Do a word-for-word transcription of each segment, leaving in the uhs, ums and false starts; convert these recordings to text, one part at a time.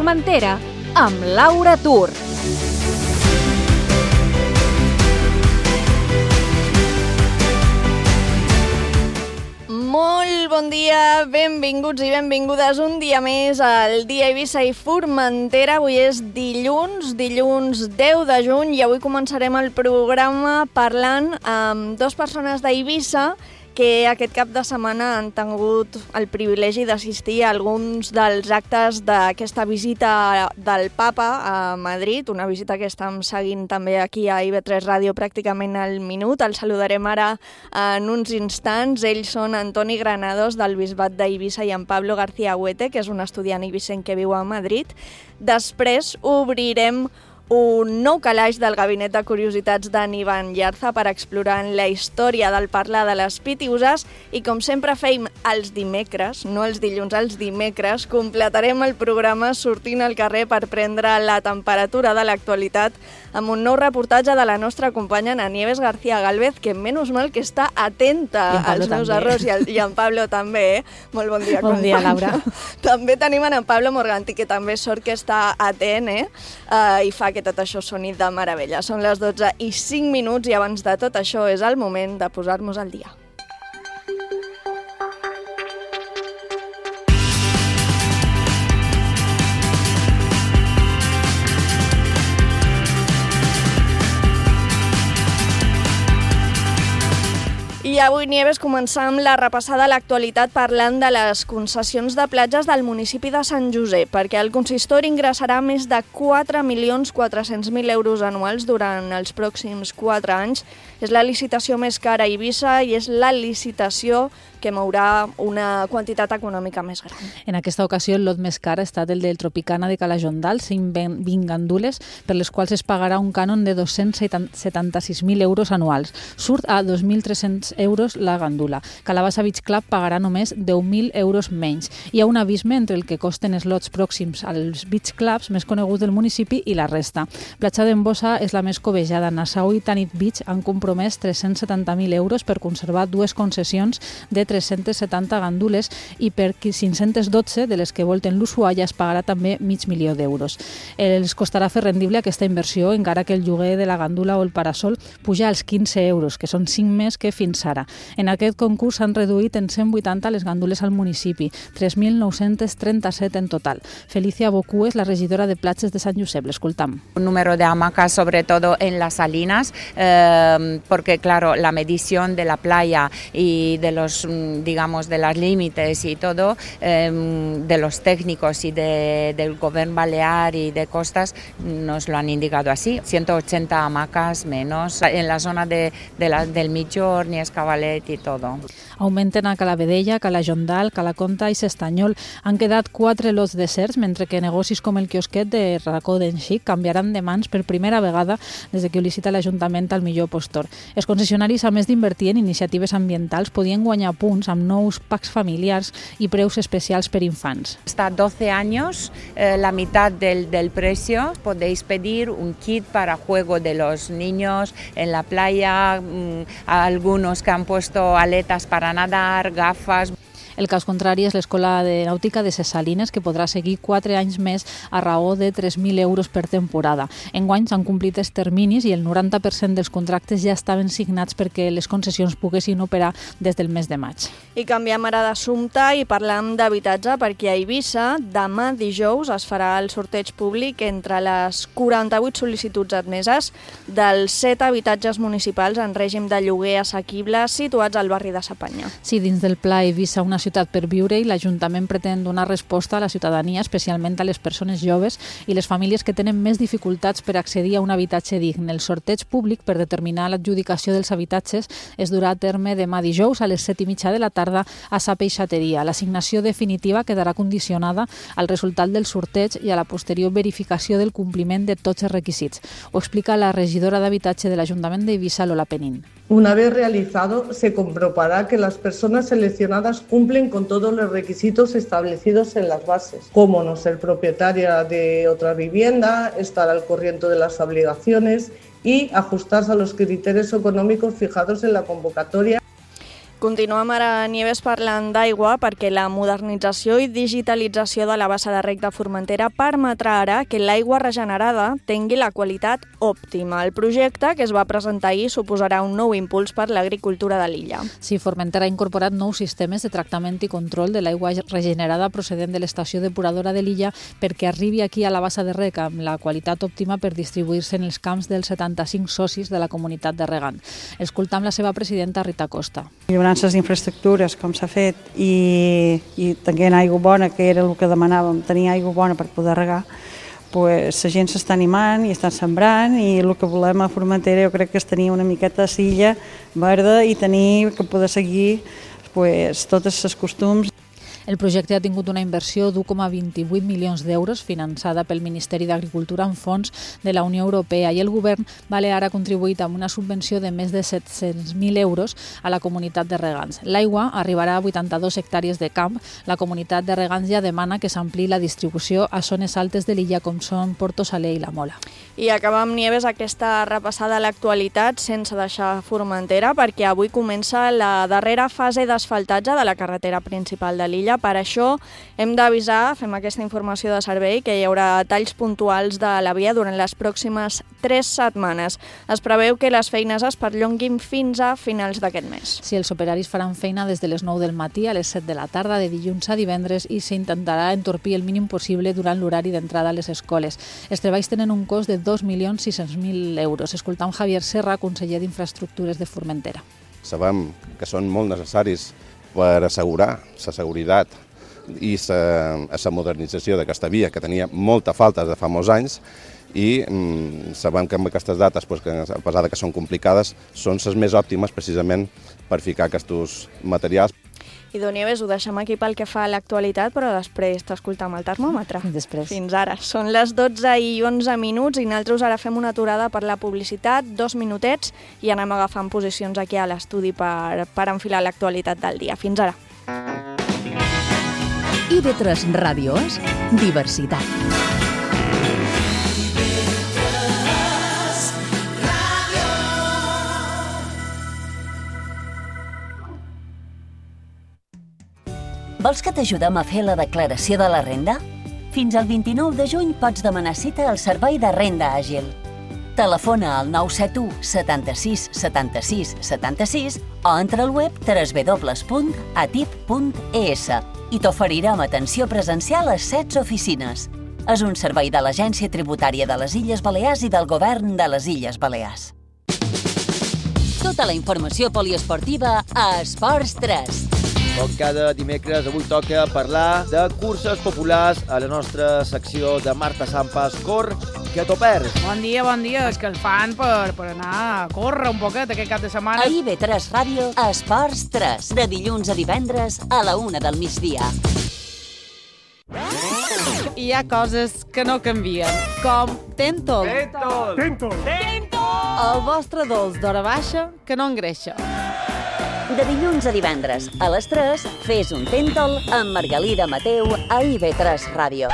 Formentera amb Laura Tur. Molt bon dia, benvinguts i benvingudes un dia més al Dia Eivissa i Formentera. Avui és dilluns, dilluns deu de juny, i avui començarem el programa parlant amb dues persones d'Eivissa que aquest cap de setmana han tingut el privilegi d'assistir a alguns dels actes d'aquesta visita del Papa a Madrid, una visita que estem seguint també aquí a I V tres Ràdio pràcticament al minut. El saludarem ara en uns instants. Ells són Antoni Granados, del Bisbat d'Eivissa, i en Pablo García Huete, que és un estudiant eivissenc que viu a Madrid. Després obrirem un nou calaix del Gabinet de Curiositats d'en Ivan Llarza per explorar la història del parlar de les pitiüses, i com sempre feim els dimecres, no els dilluns, els dimecres, completarem el programa sortint al carrer per prendre la temperatura de l'actualitat amb un nou reportatge de la nostra companya Ana Nieves García Gálvez, que menys mal que està atenta als meus també. errors, i, el, i en Pablo també, eh? Molt bon dia, Bon dia, Laura. També tenim en Pablo Morganti, que també sort que està atent, eh? Uh, i fa que tot això soni de meravella. Són les dotze i cinc minuts, i abans de tot això és el moment de posar-nos al dia. I avui, Nieves, començam la repassada a l'actualitat parlant de les concessions de platges del municipi de Sant Josep, perquè el consistori ingressarà més de quatre milions quatre-cents mil euros anuals durant els pròxims quatre anys. És la licitació més cara a Eivissa i és la licitació que mourà una quantitat econòmica més gran. En aquesta ocasió, el lot més car ha estat el del Tropicana de Calajondal, cent vint gandules, per les quals es pagarà un cànon de dos-cents setanta-sis mil euros anuals. Surt a dos mil tres-cents euros la gandula. Calabassa Beach Club pagarà només deu mil euros menys. Hi ha un abisme entre el que costen els lots pròxims als beach clubs més coneguts del municipi i la resta. Platja d'Embossa és la més cobejada. Nassau i Tanit Beach han compromès tres-cents setanta mil euros per conservar dues concessions de tres-cents setanta gandules, i per cinc-cents dotze de les que volten l'Ushuaia es pagarà també mig milió d'euros. Els costarà fer rendible aquesta inversió, encara que el lloguer de la gandula o el parasol puja als quinze euros, que són cinc més que fins ara. En aquest concurs s'han reduït en cent vuitanta les gandules al municipi, tres mil nou-cents trenta-set en total. Felicia Bocú és la regidora de platges de Sant Josep. L'escoltam. Un número de hamacas, sobre todo en las salinas, eh, porque claro, la medición de la playa y de los, digamos, de los límites y todo, eh, de los técnicos y de, del gobierno balear y de costas, nos lo han indicado así. ciento ochenta hamacas menos en la zona de, de la, del Migjorn, Escavalet i tot. Augmenten a Calavedella, Calajondal, Calaconta i S'Estanyol. Han quedat quatre lots deserts, mentre que negocis com el quiosquet de Racó d'en Xic canviaran de mans per primera vegada des de que ho licita l'Ajuntament al millor postor. Els concessionaris, a més d'invertir en iniciatives ambientals, podien guanyar punts amb nous packs familiars i preus especials per infants. Hasta doce años, eh, la mitad del, del precio, podéis pedir un kit para juego de los niños en la playa, mmm, algunos que han puesto aletas para nadar, gafas. El cas contrari és l'Escola de Nàutica de Ses Salines, que podrà seguir quatre anys més a raó de tres mil euros per temporada. Enguany s'han complit els terminis i el noranta per cent dels contractes ja estaven signats perquè les concessions poguessin operar des del mes de maig. I canviem ara d'assumpte i parlam d'habitatge, perquè a Eivissa demà dijous es farà el sorteig públic entre les quaranta-vuit sol·licituds admeses dels set habitatges municipals en règim de lloguer assequible situats al barri de Sapanya. Sí, dins del Pla Eivissa, una ciutat per viure, i l'Ajuntament pretén donar resposta a la ciutadania, especialment a les persones joves i les famílies que tenen més dificultats per accedir a un habitatge digne. El sorteig públic per determinar l'adjudicació dels habitatges es durà a terme demà dijous a les set i mitja de la tarda a Sa Peixateria. L'assignació definitiva quedarà condicionada al resultat del sorteig i a la posterior verificació del compliment de tots els requisits. Ho explica la regidora d'Habitatge de l'Ajuntament d'Eivissa, Lola Penín. Una vez realizado, se comprobará que las personas seleccionadas cumplen con todos los requisitos establecidos en las bases, como no ser propietaria de otra vivienda, estar al corriente de las obligaciones y ajustarse a los criterios económicos fijados en la convocatoria. Continuem ara, Nieves, parlant d'aigua perquè la modernització i digitalització de la bassa de rec de Formentera permetrà ara que l'aigua regenerada tingui la qualitat òptima. El projecte, que es va presentar ahir, suposarà un nou impuls per l'agricultura de l'illa. Sí, Formentera ha incorporat nous sistemes de tractament i control de l'aigua regenerada procedent de l'estació depuradora de l'illa perquè arribi aquí a la bassa de rec amb la qualitat òptima per distribuir-se en els camps dels setanta-cinc socis de la comunitat de regant. Escoltam la seva presidenta, Rita Costa. Millorances d'infraestructures, com s'ha fet, i, i tenint aigua bona, que era el que demanàvem, tenir aigua bona per poder regar, pues, la gent s'està animant i estan sembrant, i el que volem a Formentera jo crec que és tenir una miqueta de silla verda i tenir que poder seguir pues, totes les costums. El projecte ha tingut una inversió d'u coma vint-i-vuit milions d'euros finançada pel Ministeri d'Agricultura amb fons de la Unió Europea i el govern balear ha contribuït amb una subvenció de més de set-cents mil euros a la comunitat de regants. L'aigua arribarà a vuitanta-dues hectàrees de camp. La comunitat de regants ja demana que s'ampliï la distribució a zones altes de l'illa com són Porto Saler i la Mola. I acabam, Nieves, aquesta repassada a l'actualitat sense deixar Formentera perquè avui comença la darrera fase d'asfaltatge de la carretera principal de l'illa. Per això hem d'avisar, fem aquesta informació de servei, que hi haurà talls puntuals de la via durant les pròximes tres setmanes. Es preveu que les feines es perllonguin fins a finals d'aquest mes. Sí, els operaris faran feina des de les nou del matí a les set de la tarda, de dilluns a divendres, i s'intentarà entorpir el mínim possible durant l'horari d'entrada a les escoles. Els treballs tenen un cost de dos milions sis-cents mil euros. Escoltam Javier Serra, conseller d'Infraestructures de Formentera. Sabem que són molt necessaris per assegurar la seguretat i la modernització d'aquesta via, que tenia molta falta de fa molts anys, i mm, sabem que amb aquestes dates, pues, que, a pesar que són complicades, són les més òptimes precisament per ficar aquests materials. I doncs, Nieves, ho deixem aquí pel que fa a l'actualitat, però després t'escoltam el termòmetre. Després. Fins ara. Són les dotze i onze minuts i nosaltres ara fem una aturada per la publicitat, dos minutets, i anem agafant posicions aquí a l'estudi per, per enfilar l'actualitat del dia. Fins ara. I ve tres Ràdio és diversitat. Vols que t'ajudem a fer la declaració de la renda? Fins al vint-i-nou de juny pots demanar cita al Servei de Renda Àgil. Telefona al nou set u setanta-sis setanta-sis setanta-sis o entra al web w w w punt a t i p punt e s i t'oferirem atenció presencial a set oficines. És un servei de l'Agència Tributària de les Illes Balears i del Govern de les Illes Balears. Tota la informació poliesportiva a Esports tres. Com cada dimecres, avui toca parlar de curses populars a la nostra secció de Marta Sampas, Cor, que t'ho perds. Bon dia, bon dia. És que el fan per, per anar a córrer un poquet aquest cap de setmana. A I V tres Ràdio, Esports tres, de dilluns a divendres a la una del migdia. Hi ha coses que no canvien, com Tentol. Tentol! Tentol! Tentol! El vostre dolç d'hora baixa que no engreixa. De dilluns a divendres, a les tres, fes un Tentol amb Margalida Mateu a I V tres Ràdio.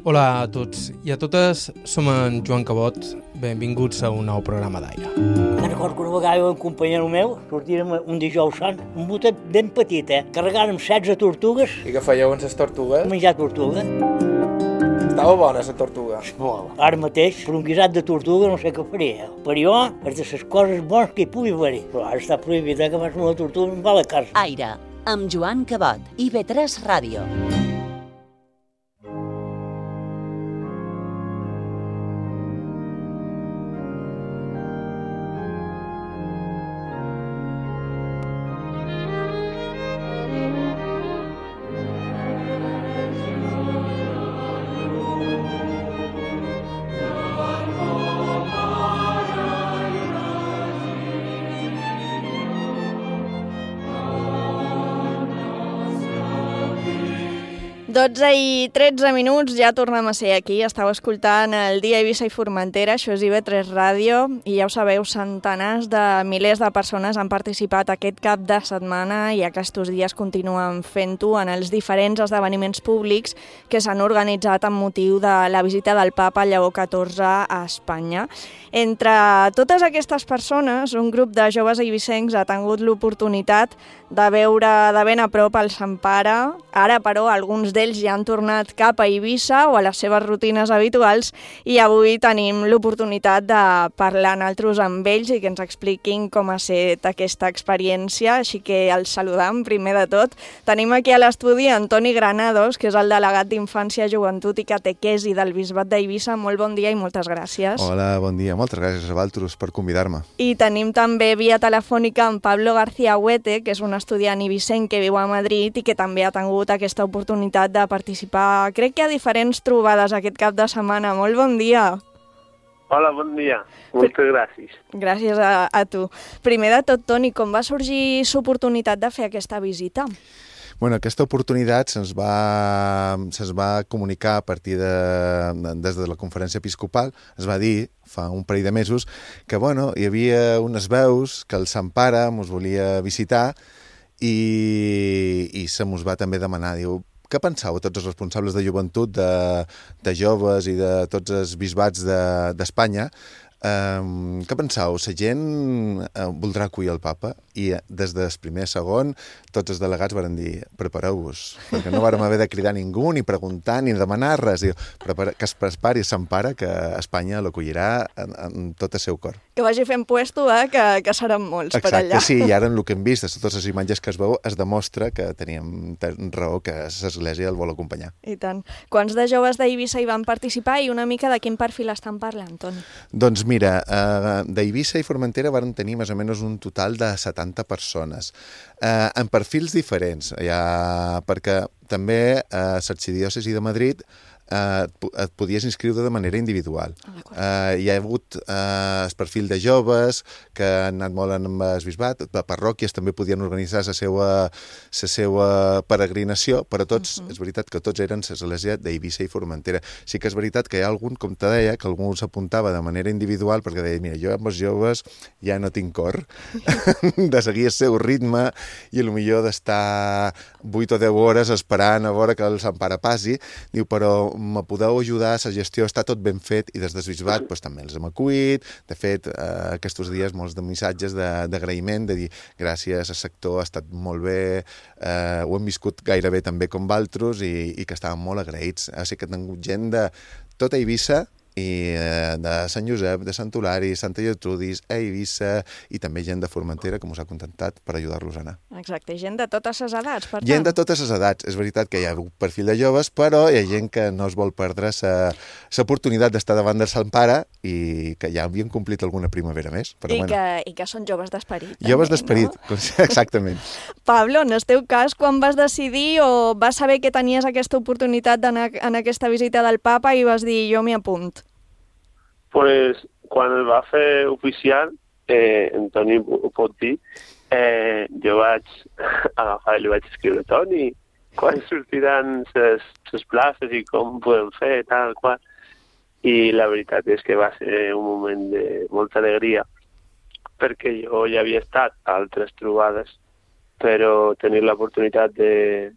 Hola a tots i a totes, som en Joan Cabot. Benvinguts a un nou programa d'aire. Me'n recordo que una vegada un companyero meu sortírem un dijous sant, un botet ben petit, eh? Carregàrem setze tortugues. I què fèieu amb les tortugues? Menjar tortuga. Estava bona, la tortuga. Molt. Ara mateix, per un guisat de tortuga no sé què faria. Per jo, és de les coses bones que hi pugui haver. Però ara està prohibit, eh, que fas una tortuga em va a la casa. Aire, amb Joan Cabot, I V tres Ràdio. dotze i tretze minuts, ja tornem a ser aquí. Estàu escoltant el Dia Eivissa i Formentera, això és I V tres Ràdio, i ja ho sabeu, centenars de milers de persones han participat aquest cap de setmana i aquests dies continuen fent-ho en els diferents esdeveniments públics que s'han organitzat amb motiu de la visita del papa Lleó catorze a Espanya. Entre totes aquestes persones, un grup de joves eivissencs ha tingut l'oportunitat de veure de ben a prop el Sant Pare. Ara, però, alguns d'ells ja han tornat cap a Eivissa o a les seves rutines habituals i avui tenim l'oportunitat de parlar nosaltres amb ells i que ens expliquin com ha estat aquesta experiència, així que els saludam primer de tot. Tenim aquí a l'estudi Antoni Granados, que és el delegat d'Infància, Joventut i Catequesi del Bisbat d'Eivissa. Molt bon dia i moltes gràcies. Hola, bon dia. Moltes gràcies a vosaltres per convidar-me. I tenim també via telefònica amb Pablo García Huete, que és un estudiant eivissenc que viu a Madrid i que també ha tingut aquesta oportunitat de participar, crec que a diferents trobades aquest cap de setmana. Molt bon dia. Hola, bon dia. Moltes gràcies. Gràcies a, a tu. Primer de tot, Toni, com va sorgir l'oportunitat de fer aquesta visita? Bueno, aquesta oportunitat se'ns va, se'ns va comunicar a partir de, des de la conferència episcopal. Es va dir fa un parell de mesos que bueno, hi havia unes veus que el Sant Pare mos volia visitar i, i se mos va també demanar, diu, què penseu tots els responsables de joventut, de, de joves i de tots els bisbats d'Espanya? De, Um, què penseu? La gent uh, voldrà acollir el papa? I des del primer segon tots els delegats varen dir prepareu-vos, perquè no vàrem haver de cridar ningú, ni preguntar, ni demanar res. Diu, prepara, que es prepari Sant Pare, que Espanya l'acollirà en, en tot el seu cor. Que vagi fent puesto, eh? que, que seran molts. Exacte, per allà. Exacte, sí, i ara en el que hem vist, de totes les imatges que es veu, es demostra que teníem raó, que l'Església el vol acompanyar. I tant. Quants de joves d'Eivissa hi van participar i una mica de quin perfil estan parlant, Toni? Doncs mira, uh, d'Eivissa i Formentera van tenir més o menys un total de setanta persones, uh, en perfils diferents, ja, perquè també uh, l'Arxidiòcesi de Madrid Uh, et podies inscriure de manera individual. Uh, hi ha hagut uh, el perfil de joves que han anat molt amb el bisbat, les parròquies també podien organitzar la seva, la seva peregrinació, però tots, uh -huh. és veritat que tots eren l'església d'Eivissa i Formentera. Sí que és veritat que hi ha algun, com te deia, que algú s'apuntava de manera individual perquè deia, mira, jo amb els joves ja no tinc cor de seguir el seu ritme i potser d'estar vuit o deu hores esperant a veure que el Sant Pare passi. Diu, però me podeu ajudar, la gestió està tot ben fet i des del bisbat pues, també els hem acollit. De fet, eh, aquests dies molts de missatges d'agraïment, de, de dir gràcies, el sector ha estat molt bé, eh, ho hem viscut gairebé també com valtros i, i que estàvem molt agraïts. O sigui que hem tingut gent de tota Eivissa i eh, de Sant Josep, de Sant Hilari, Santa Gertrudis, a Eivissa i també gent de Formentera que ens ha contentat per ajudar-los a anar. Exacte, gent de totes les edats, per tant. Gent de totes les edats. És veritat que hi ha un perfil de joves, però hi ha gent que no es vol perdre l'oportunitat d'estar davant del Sant Pare i que ja havien complit alguna primavera més. Però I, bueno. que, I que són joves d'esperit. Joves d'esperit, no? Exactament. Pablo, en el teu cas, quan vas decidir o vas saber que tenies aquesta oportunitat d'anar en aquesta visita del papa i vas dir jo m'hi apunt? Pues, quan el va fer oficial, eh, en Toni ho pot dir, eh, jo vaig agafar i li vaig escriure Toni, quan sortiran les places i com podem fer, tal qual. I la veritat és que va ser un moment de molta alegria, perquè jo ja havia estat a altres trobades, però tenir l'oportunitat de,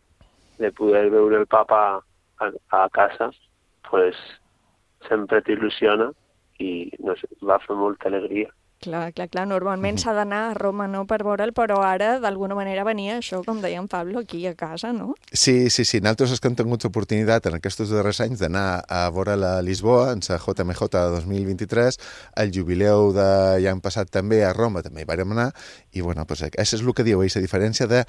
de poder veure el papa a, a casa, pues, sempre t'il·lusiona i no sé, va fer molta alegria. Clar, clar, clar. Normalment s'ha d'anar a Roma, no?, per veure'l, però ara, d'alguna manera, venia això, com deia en Pablo, aquí a casa, no? Sí, sí, sí. Nosaltres que hem tingut l'oportunitat en aquests darrers anys d'anar a veure la Lisboa, en la J M J dos mil vint-i-tres, el jubileu de l'any passat també a Roma, també hi vàrem anar, i bueno, pues, això és el que diu, la diferència de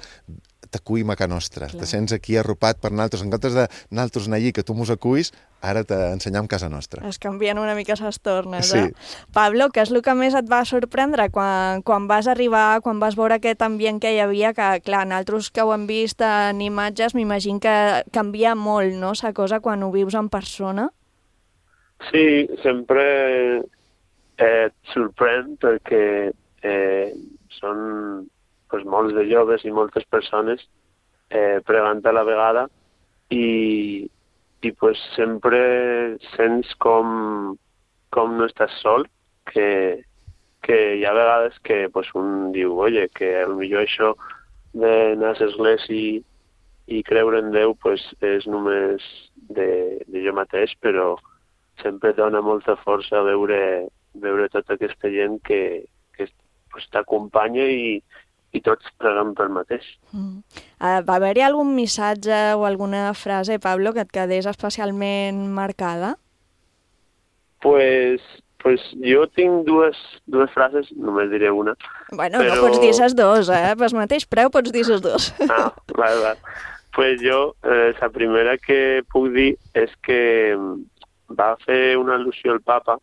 t'acuïm a casa nostra, te sents aquí arropat per nosaltres, en comptes de nosaltres anar allí, que tu mos acuïs, ara t'ensenyam casa nostra. Es canvien una mica les tornes, sí. eh? Pablo, què és el que més et va sorprendre quan, quan vas arribar, quan vas veure aquest ambient que hi havia, que, clar, nosaltres que ho hem vist en imatges, m'imagino que canvia molt, no?, la cosa quan ho vius en persona? Sí, sempre eh, et sorprèn perquè eh, són pues, molts de joves i moltes persones eh, pregant a la vegada i, i pues sempre sents com, com no estàs sol, que, que hi ha vegades que pues, un diu, oye, que potser això d'anar a l'església i, i creure en Déu pues, és només de, de jo mateix, però sempre dona molta força veure, veure tota aquesta gent que, que pues, t'acompanya i, i tots preguen pel mateix. Mm. Uh, va haver-hi algun missatge o alguna frase, Pablo, que et quedés especialment marcada? Pues, pues jo tinc dues, dues frases, només diré una. Bueno, però... no pots dir ses dos, eh? Pel mateix preu pots dir ses dos. Ah, vale, vale. Pues jo, eh, la primera que puc dir és que va fer una al·lusió al papa,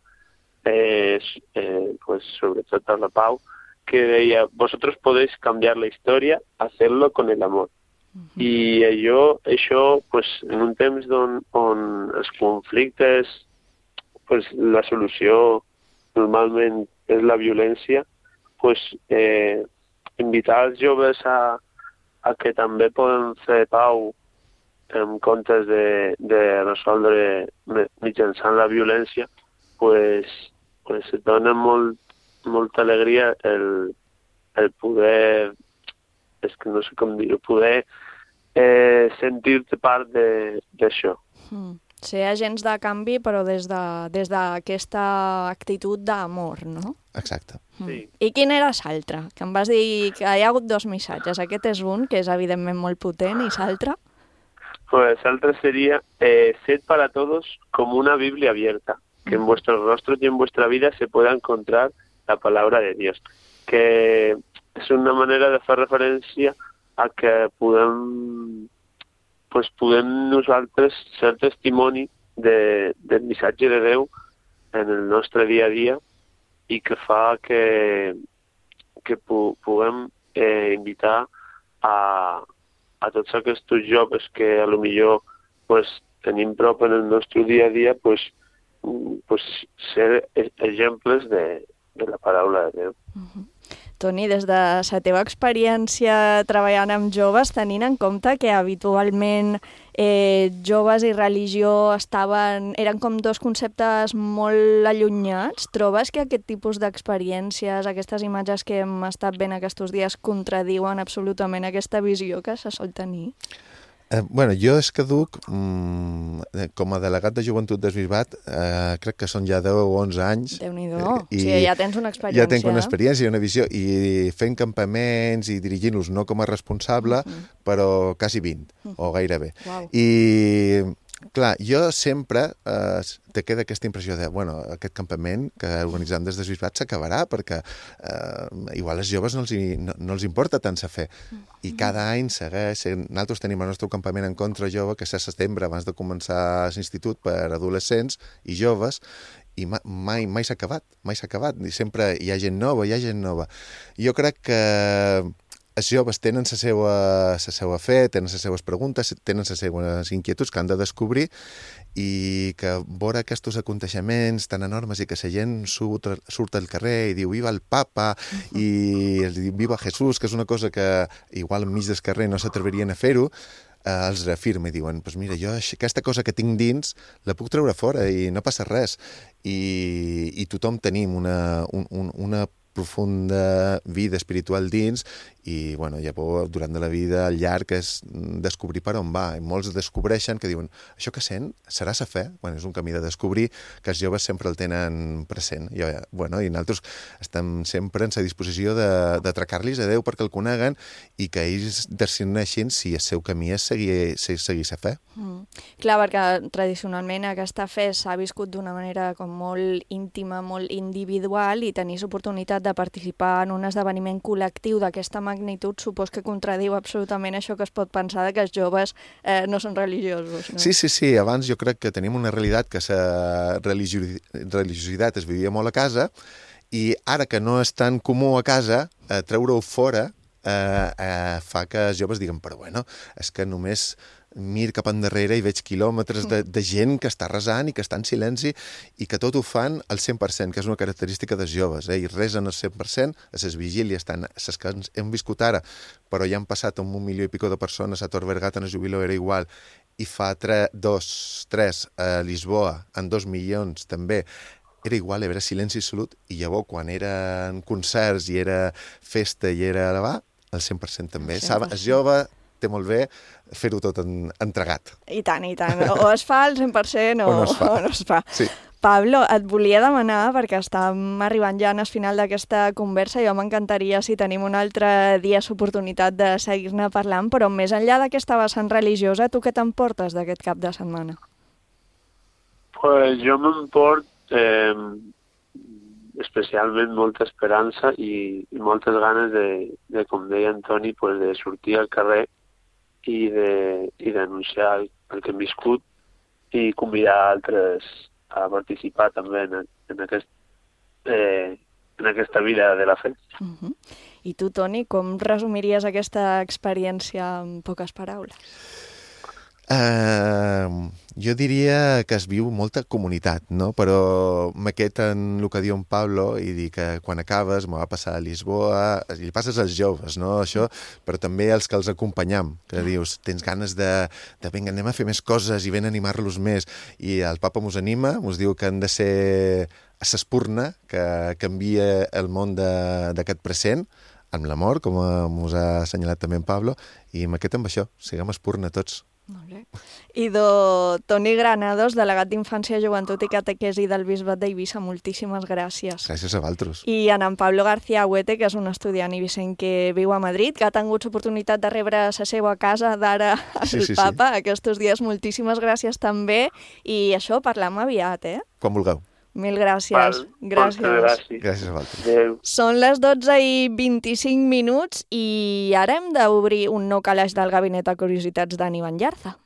eh, eh, pues sobretot a la Pau, que deia, vosotros podéis cambiar la historia, hacerlo con el amor. Uh-huh. I allò, això, pues, en un temps on, on els conflictes, pues, la solució normalment és la violència, pues, eh, invitar els joves a, a que també poden fer pau en comptes de, de resoldre mitjançant la violència, pues, pues et dona molt, molta alegria el, el poder, és que no sé com dir-ho, poder eh, sentir-te part d'això. Mm. Ser agents de canvi, però des d'aquesta de, actitud d'amor, no? Exacte. Mm. Sí. I quin era l'altre? Que em vas dir que hi ha hagut dos missatges. Aquest és un, que és evidentment molt potent, i l'altre? Pues l'altre seria, eh, sed para todos como una Biblia abierta, que en vuestros rostros y en vuestra vida se pueda encontrar la palabra de Dios, que és una manera de fer referència a que podem, pues podem nosaltres ser testimoni de, del missatge de Déu en el nostre dia a dia i que fa que, que pu puguem eh, invitar a, a tots aquests joves que a lo millor pues, tenim prop en el nostre dia a dia pues, pues, ser exemples de, de la paraula de Déu. Uh-huh. Toni, des de la teva experiència treballant amb joves, tenint en compte que habitualment eh, joves i religió estaven, eren com dos conceptes molt allunyats, trobes que aquest tipus d'experiències, aquestes imatges que hem estat veient aquests dies contradiuen absolutament aquesta visió que se sol tenir? Eh, bueno, jo és que duc, mm, com a delegat de Joventut d'Esbisbat, eh, crec que són ja deu o onze anys. Déu-n'hi-do, eh, o sigui, ja tens una experiència. Ja tenc una experiència i una visió, i fent campaments i dirigint-los no com a responsable, uh-huh. però quasi vint, uh-huh. o gairebé. Wow. I, clar, jo sempre eh, te queda aquesta impressió de, bueno, aquest campament que organitzem des d'Esbisbat s'acabarà perquè eh, igual als joves no els, hi, no, no els importa tant saber. I cada any segueix, nosaltres tenim el nostre campament en contra jove, que és a setembre, abans de començar l'institut per adolescents i joves, i mai, mai s'ha acabat, mai s'ha acabat. I sempre hi ha gent nova, hi ha gent nova. Jo crec que els joves tenen la seva, la seva fe, tenen les seves preguntes, tenen les seves inquietuds que han de descobrir i que veure aquests aconteixements tan enormes i que la gent surt, surt al carrer i diu viva el papa uh-huh. i els diu viva Jesús, que és una cosa que igual enmig del carrer no s'atreverien a fer-ho, eh, els reafirma i diuen, pues mira, jo aquesta cosa que tinc dins la puc treure fora i no passa res. I, i tothom tenim una, un, un, una profunda vida espiritual dins i, bueno, ja durant de la vida al llarg és descobrir per on va. I molts descobreixen que diuen, això que sent serà sa fe? Bueno, és un camí de descobrir que els joves sempre el tenen present. I, bueno, i nosaltres estem sempre en la disposició d'atracar-los a Déu perquè el coneguen i que ells decideixin si el seu camí és seguir, seguir sa fe. Mm. Clar, perquè tradicionalment aquesta fe s'ha viscut d'una manera com molt íntima, molt individual, i tenir l'oportunitat de participar en un esdeveniment col·lectiu d'aquesta magnitud supos que contradiu absolutament això que es pot pensar de que els joves eh, no són religiosos. No? Sí, sí, sí. Abans jo crec que tenim una realitat que la religiositat es vivia molt a casa i ara que no és tan comú a casa, eh, treure-ho fora eh, eh, fa que els joves diguen, però bueno, és que només mir cap endarrere i veig quilòmetres de, de gent que està resant i que està en silenci i que tot ho fan al cent per cent, que és una característica dels joves, eh? I resen al cent per cent, a les vigílies, tant les que hem viscut ara, però ja han passat un milió i pico de persones, a Tor Vergat en el jubileu era igual, i fa tre, dos, tres a Lisboa, en dos milions també, era igual, era silenci absolut, i llavors quan eren concerts i era festa i era elevar, el cent per cent també. Sabe, és jove, té molt bé fer-ho tot en, entregat. I tant, i tant. O es fa al cent per cent o, o no es fa. O no es fa. Sí. Pablo, et volia demanar, perquè estàvem arribant ja al final d'aquesta conversa, jo m'encantaria si tenim un altre dia l'oportunitat de seguir-ne parlant, però més enllà d'aquesta vessant religiosa, tu què t'emportes d'aquest cap de setmana? Pues jo m'emport eh, especialment molta esperança i, i moltes ganes de, de, com deia Antoni, pues de sortir al carrer i de i denunciar el, el que hem viscut i convidar altres a participar també en, en, aquest, eh, en aquesta vida de la fe. Uh-huh. I tu, Toni, com resumiries aquesta experiència en poques paraules? Uh, jo diria que es viu molta comunitat, no? Però m'aquest en el que diu en Pablo i dir que quan acabes me va passar a Lisboa, i li passes als joves, no? Això, però també els que els acompanyam, que dius, tens ganes de, de vinga, anem a fer més coses i ven a animar-los més, i el papa mos anima, mos diu que han de ser a s'espurna, que canvia el món d'aquest present, amb l'amor, com mos ha assenyalat també en Pablo, i m'aquest amb això, siguem espurna tots. Molt bé. I do Toni Granados, delegat d'Infància, Joventut i Catequesi del Bisbat d'Eivissa, moltíssimes gràcies. Gràcies a vosaltres. I en en Pablo García Huete, que és un estudiant eivissenc que viu a Madrid, que ha tingut l'oportunitat de rebre la seva casa d'ara al sí, sí, papa sí. Aquests dies. Moltíssimes gràcies també. I això, parlam aviat, eh? Quan vulgueu. Mil gràcies. Val, gràcies. gràcies. Gràcies a vosaltres. Adéu. Són les dotze i vint-i-cinc minuts i ara hem d'obrir un nou calaix del Gabinet de Curiositats d'Ani Banllarza.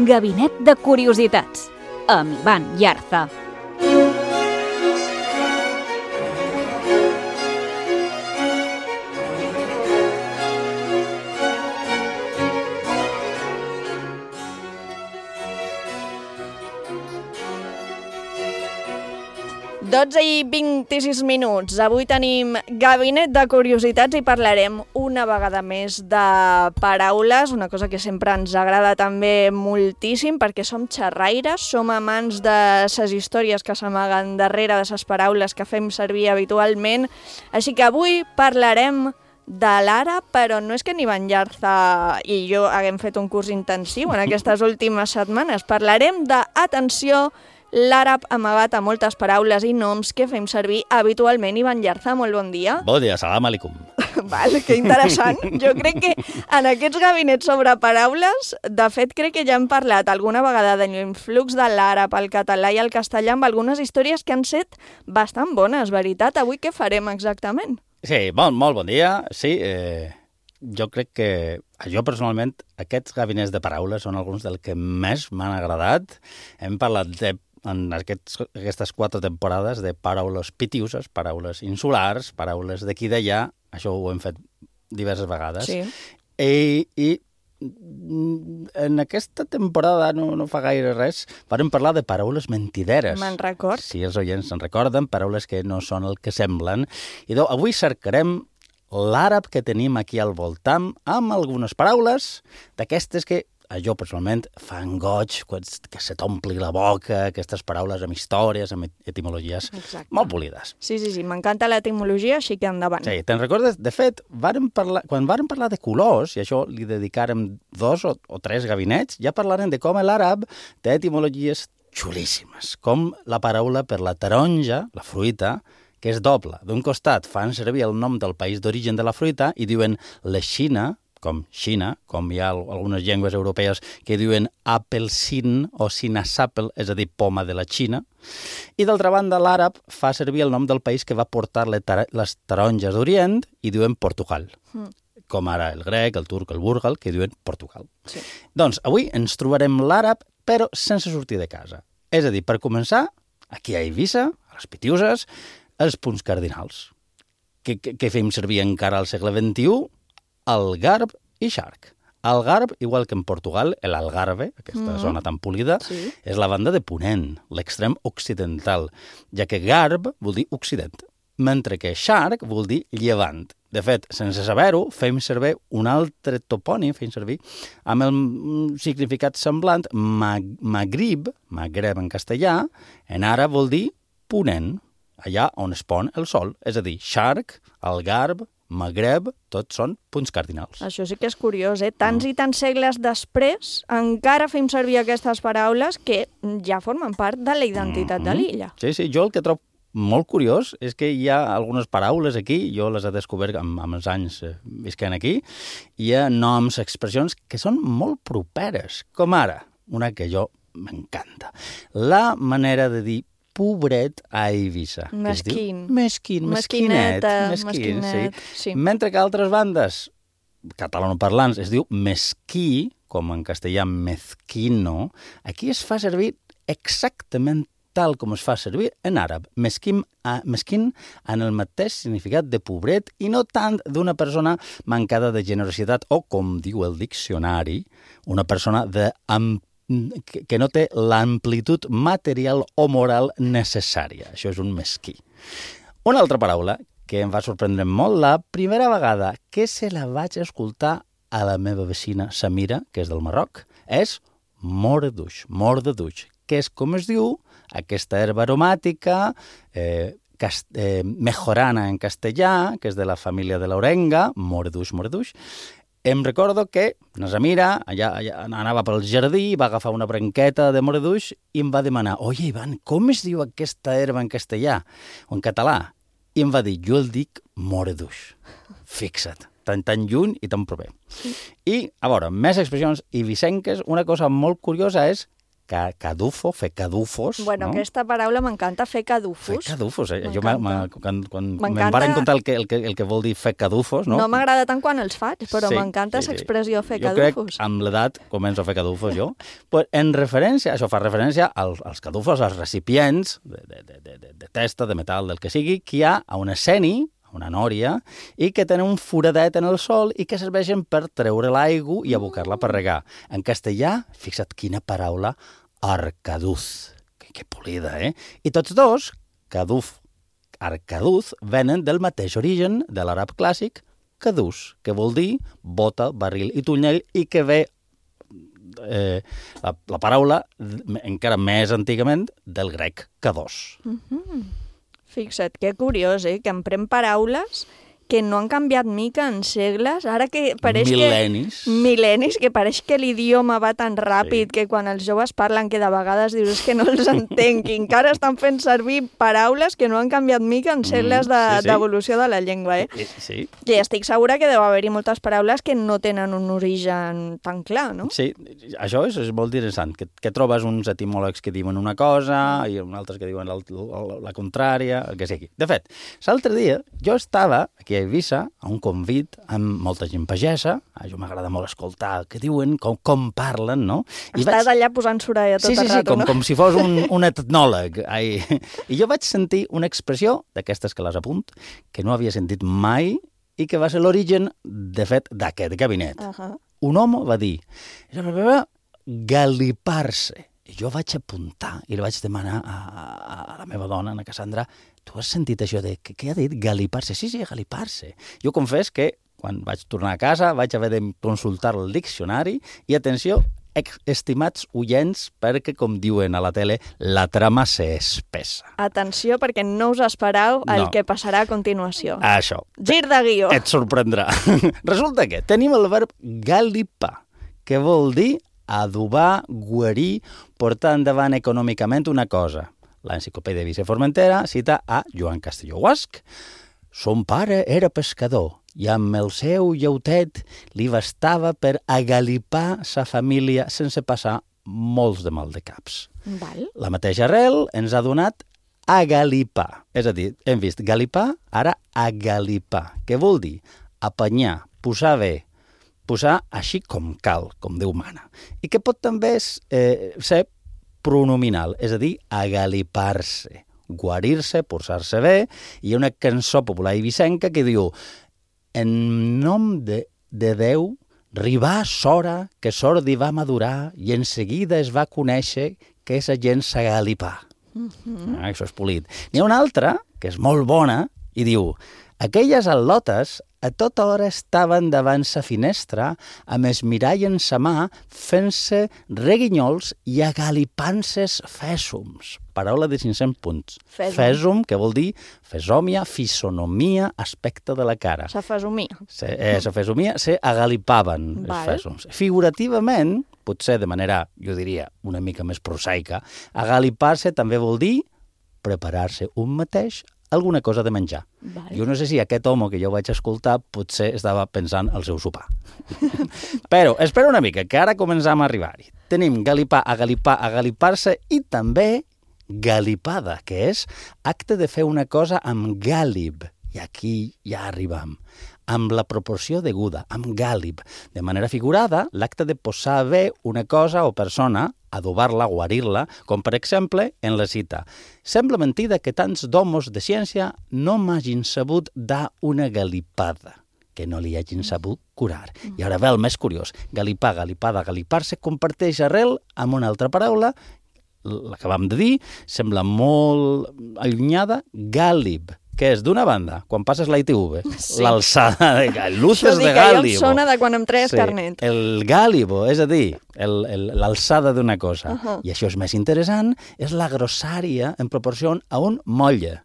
Gabinet de Curiositats, amb Ivan Llarza. dotze i vint-i-sis minuts. Avui tenim Gabinet de Curiositats i parlarem una vegada més de paraules, una cosa que sempre ens agrada també moltíssim perquè som xerraires, som amants de les històries que s'amaguen darrere de les paraules que fem servir habitualment. Així que avui parlarem de l'àrab, però no és que ni Banllarza i jo haguem fet un curs intensiu en aquestes últimes setmanes. Parlarem de, atenció, l'àrab amagat a moltes paraules i noms que fem servir habitualment. Ivan Llarza, molt bon dia. Bon dia, salam alaikum. Vale, que interessant. Jo crec que en aquests gabinets sobre paraules, de fet, crec que ja hem parlat alguna vegada de l'influx de l'àrab, el català i el castellà amb algunes històries que han set bastant bones, veritat? Avui què farem exactament? Sí, bon, molt bon dia. Sí, eh, jo crec que jo personalment aquests gabinets de paraules són alguns del que més m'han agradat. Hem parlat de en aquests, aquestes quatre temporades de paraules pitiuses, paraules insulars, paraules d'aquí i d'allà, això ho hem fet diverses vegades. Sí. I, i en aquesta temporada, no, no fa gaire res, vam parlar de paraules mentideres. Me'n record. Si els oients se'n recorden, paraules que no són el que semblen. I doncs, avui cercarem l'àrab que tenim aquí al voltant amb algunes paraules d'aquestes que a jo personalment fan goig, que se t'ompli la boca, aquestes paraules amb històries, amb etimologies Exacte. Molt polides. Sí, sí, sí, m'encanta l'etimologia, així que endavant. Sí, te'n recordes? De fet, vàrem parlar, quan vàrem parlar de colors, i això li dedicàrem dos o, o tres gabinets, ja parlarem de com l'àrab té etimologies xulíssimes, com la paraula per la taronja, la fruita, que és doble. D'un costat fan servir el nom del país d'origen de la fruita i diuen la Xina, com Xina, com hi ha algunes llengües europees que diuen apelsin o sinasapel, és a dir, poma de la Xina. I d'altra banda, l'àrab fa servir el nom del país que va portar les taronges d'Orient i diuen Portugal. Mm. Com ara el grec, el turc, el búrgal, que diuen Portugal. Sí. Doncs avui ens trobarem l'àrab, però sense sortir de casa. És a dir, per començar, aquí a Eivissa, a les Pitiuses, els punts cardinals, que, que, que fem servir encara al segle vint-i-u, el garb i xarc. Algarve, igual que en Portugal, l'Algarve, aquesta Mm. zona tan polida, Sí. és la banda de Ponent, l'extrem occidental, ja que Garb vol dir occident, mentre que Shark vol dir llevant. De fet, sense saber-ho, fem servir un altre topònim, fem servir, amb el mm, significat semblant, mag Magrib, Magreb en castellà, en àrab vol dir ponent, allà on es pon el sol. És a dir, Shark, Algarve, Magreb, tots són punts cardinals. Això sí que és curiós, eh? Tants i tants segles després encara fem servir aquestes paraules que ja formen part de la identitat de l'illa. Sí, sí, jo el que trobo molt curiós és que hi ha algunes paraules aquí, jo les he descobert amb, amb els anys eh, visquent aquí, hi ha noms, expressions que són molt properes, com ara, una que jo m'encanta, la manera de dir pobret a Eivissa. que es diu Mesquín. Mesquín, mesquinet, Mesquineta, mesquín, mesquinet, sí. sí. Mentre que altres bandes catalanoparlants es diu mesquí, com en castellà mezquino, aquí es fa servir exactament tal com es fa servir en àrab, mesquim, a, mesquin en el mateix significat de pobret i no tant d'una persona mancada de generositat o, com diu el diccionari, una persona de, am, que, que no té l'amplitud material o moral necessària. Això és un mesquí. Una altra paraula que em va sorprendre molt la primera vegada que se la vaig escoltar a la meva vecina Samira, que és del Marroc, és morduix, morduix, que és com es diu aquesta herba aromàtica, eh, cast eh, mejorana en castellà, que és de la família de l'orenga, morduix, morduix. Em recordo que na Samira allà, allà anava pel jardí, va agafar una branqueta de morduix i em va demanar, oye, Ivan, com es diu aquesta herba en castellà o en català? I em va dir, jo el dic morduix. Fixa't, tan, tan lluny i tan proper. I, a veure, més expressions ibicenques, una cosa molt curiosa és cadufo, fer cadufos. Bueno, no? aquesta paraula m'encanta, fer cadufos. Fer cadufos, eh? Jo ma, ma, quan, quan me'n M'encanta- van contar el que, el, que, el que vol dir fer cadufos, no? No m'agrada tant quan els faig, però Sí, m'encanta sí, sí. aquesta expressió, fer Jo cadufos. crec, amb l'edat, començo a fer cadufos jo. Pues, en referència, això fa referència als, als cadufos, als recipients de, de, de, de, de, de testa, de metal, del que sigui, que hi ha a una ceni, una nòria, i que tenen un foradet en el sol i que serveixen per treure l'aigua i abocar-la per regar. En castellà, fixa't quina paraula, arcaduz. Que, que polida, eh? I tots dos, caduf, arcaduz, venen del mateix origen de l'àrab clàssic, cadús, que vol dir bota, barril i tonyell, i que ve eh, la, la paraula encara més antigament del grec cadós. Mhm. Fixa't, que curiós, eh? Que emprem paraules que no han canviat mica en segles, ara que pareix Mil·lennis. que... Mil·lennis. que pareix que l'idioma va tan ràpid sí. que quan els joves parlen que de vegades dius que no els entenc, i encara estan fent servir paraules que no han canviat mica en segles de, sí, sí. d'evolució de la llengua, eh? I, sí. I estic segura que deu haver-hi moltes paraules que no tenen un origen tan clar, no? Sí, això és, és molt interessant, que, que trobes uns etimòlegs que diuen una cosa i uns altres que diuen la, la, la contrària, el que sigui. De fet, l'altre dia jo estava aquí a Eivissa a un convit amb molta gent pagesa, a jo m'agrada molt escoltar què diuen, com, com parlen, no? I Estàs vaig... allà posant soralla tot sí, sí, el sí, rato, com, no? com si fos un, un etnòleg. Ai. I jo vaig sentir una expressió, d'aquestes que les apunt, que no havia sentit mai i que va ser l'origen, de fet, d'aquest gabinet. Uh -huh. Un home va dir, galipar-se. I jo vaig apuntar i li vaig demanar a, a, a la meva dona, a Cassandra, tu has sentit això de... Què, què ha dit? Galipar-se. Sí, sí, galipar-se. Jo confés que quan vaig tornar a casa vaig haver de consultar el diccionari i, atenció, estimats oients, perquè, com diuen a la tele, la trama s'espessa. Atenció, perquè no us esperau el No. que passarà a continuació. Això. Gir de guió. Et sorprendrà. Resulta que tenim el verb galipar, que vol dir adobar, guarir, portar endavant econòmicament una cosa. L'Enciclopèdia Vicent Formentera cita a Joan Castelló Guasc. Son pare era pescador i amb el seu llautet li bastava per agalipar sa família sense passar molts de mal de caps. Val. La mateixa arrel ens ha donat agalipar. És a dir, hem vist galipar, ara agalipar, que vol dir apanyar, posar bé, posar així com cal, com Déu mana. I que pot també eh, ser pronominal, és a dir, agalipar-se, guarir-se, posar-se bé. Hi ha una cançó popular eivissenca que diu en nom de, de Déu Ribà s'hora que sordi va madurar i en seguida es va conèixer que és gent s'agalipà. Mm-hmm. Ah, això és polit. N'hi ha una altra, que és molt bona, i diu: aquelles al·lotes a tota hora estaven davant sa finestra amb es mirall en sa mà fent-se reguinyols i agalipant-ses fèsums. Paraula de cinc-cents punts. Fèsum. Fèsum, que vol dir fesòmia, fisonomia, aspecte de la cara. Sa fesomia. Se, eh, sa fesomia se agalipaven Val. els fèsums. Figurativament, potser de manera, jo diria, una mica més prosaica, agalipar-se també vol dir preparar-se un mateix alguna cosa de menjar. Val. Jo no sé si aquest home que jo vaig escoltar potser estava pensant al seu sopar. Però espera una mica, que ara començam a arribar-hi. Tenim galipar, agalipar, agalipar-se i també galipada, que és acte de fer una cosa amb gàlib. I aquí ja arribam. Amb la proporció deguda, amb gàlib. De manera figurada, l'acte de posar bé una cosa o persona, adobar-la, guarir-la, com per exemple en la cita. Sembla mentida que tants d'homos de ciència no m'hagin sabut dar una galipada, que no li hagin sabut curar. I ara ve el més curiós. Galipar, galipada, galipar-se comparteix arrel amb una altra paraula, la que vam de dir, sembla molt allunyada, gàlib, que és, d'una banda, quan passes la I T V, sí. l'alçada de gàlibo, luces de gàlibo. Això dic que ja em sona de quan em treia sí, carnet. El gàlibo, és a dir, l'alçada d'una cosa. Uh -huh. I això és més interessant, és la grossària en proporció a un molle.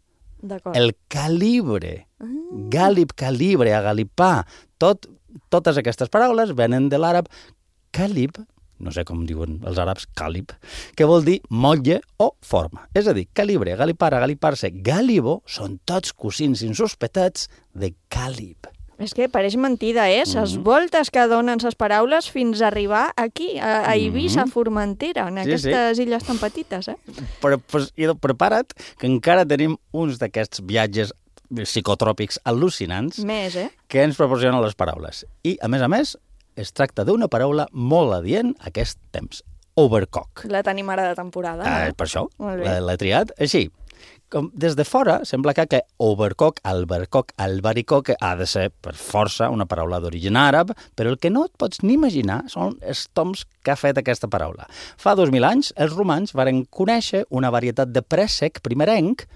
El calibre, uh. gàlib, calibre, agalipar, tot, totes aquestes paraules venen de l'àrab calib, no sé com diuen els àrabs, càlib, que vol dir motlle o forma. És a dir, calibre, galipar, agalipar-se, gàlibo, són tots cosins insospectats de càlib. És que pareix mentida, eh? Ses mm -hmm. voltes que donen ses paraules fins a arribar aquí, a, a Eivissa, mm -hmm. a Formentera, en sí, aquestes sí. illes tan petites, eh? Però, pues, prepara't, que encara tenim uns d'aquests viatges psicotròpics al·lucinants Més, eh? que ens proporcionen les paraules. I, a més a més, es tracta d'una paraula molt adient a aquest temps. Overcock. La tenim ara de temporada, no? Ah, per això, Molt bé. l'he triat. Així, com des de fora, sembla que, que overcock, albercock, albaricock ha de ser, per força, una paraula d'origen àrab, però el que no et pots ni imaginar són els toms que ha fet aquesta paraula. Fa dos mil anys, els romans varen conèixer una varietat de préssec primerenc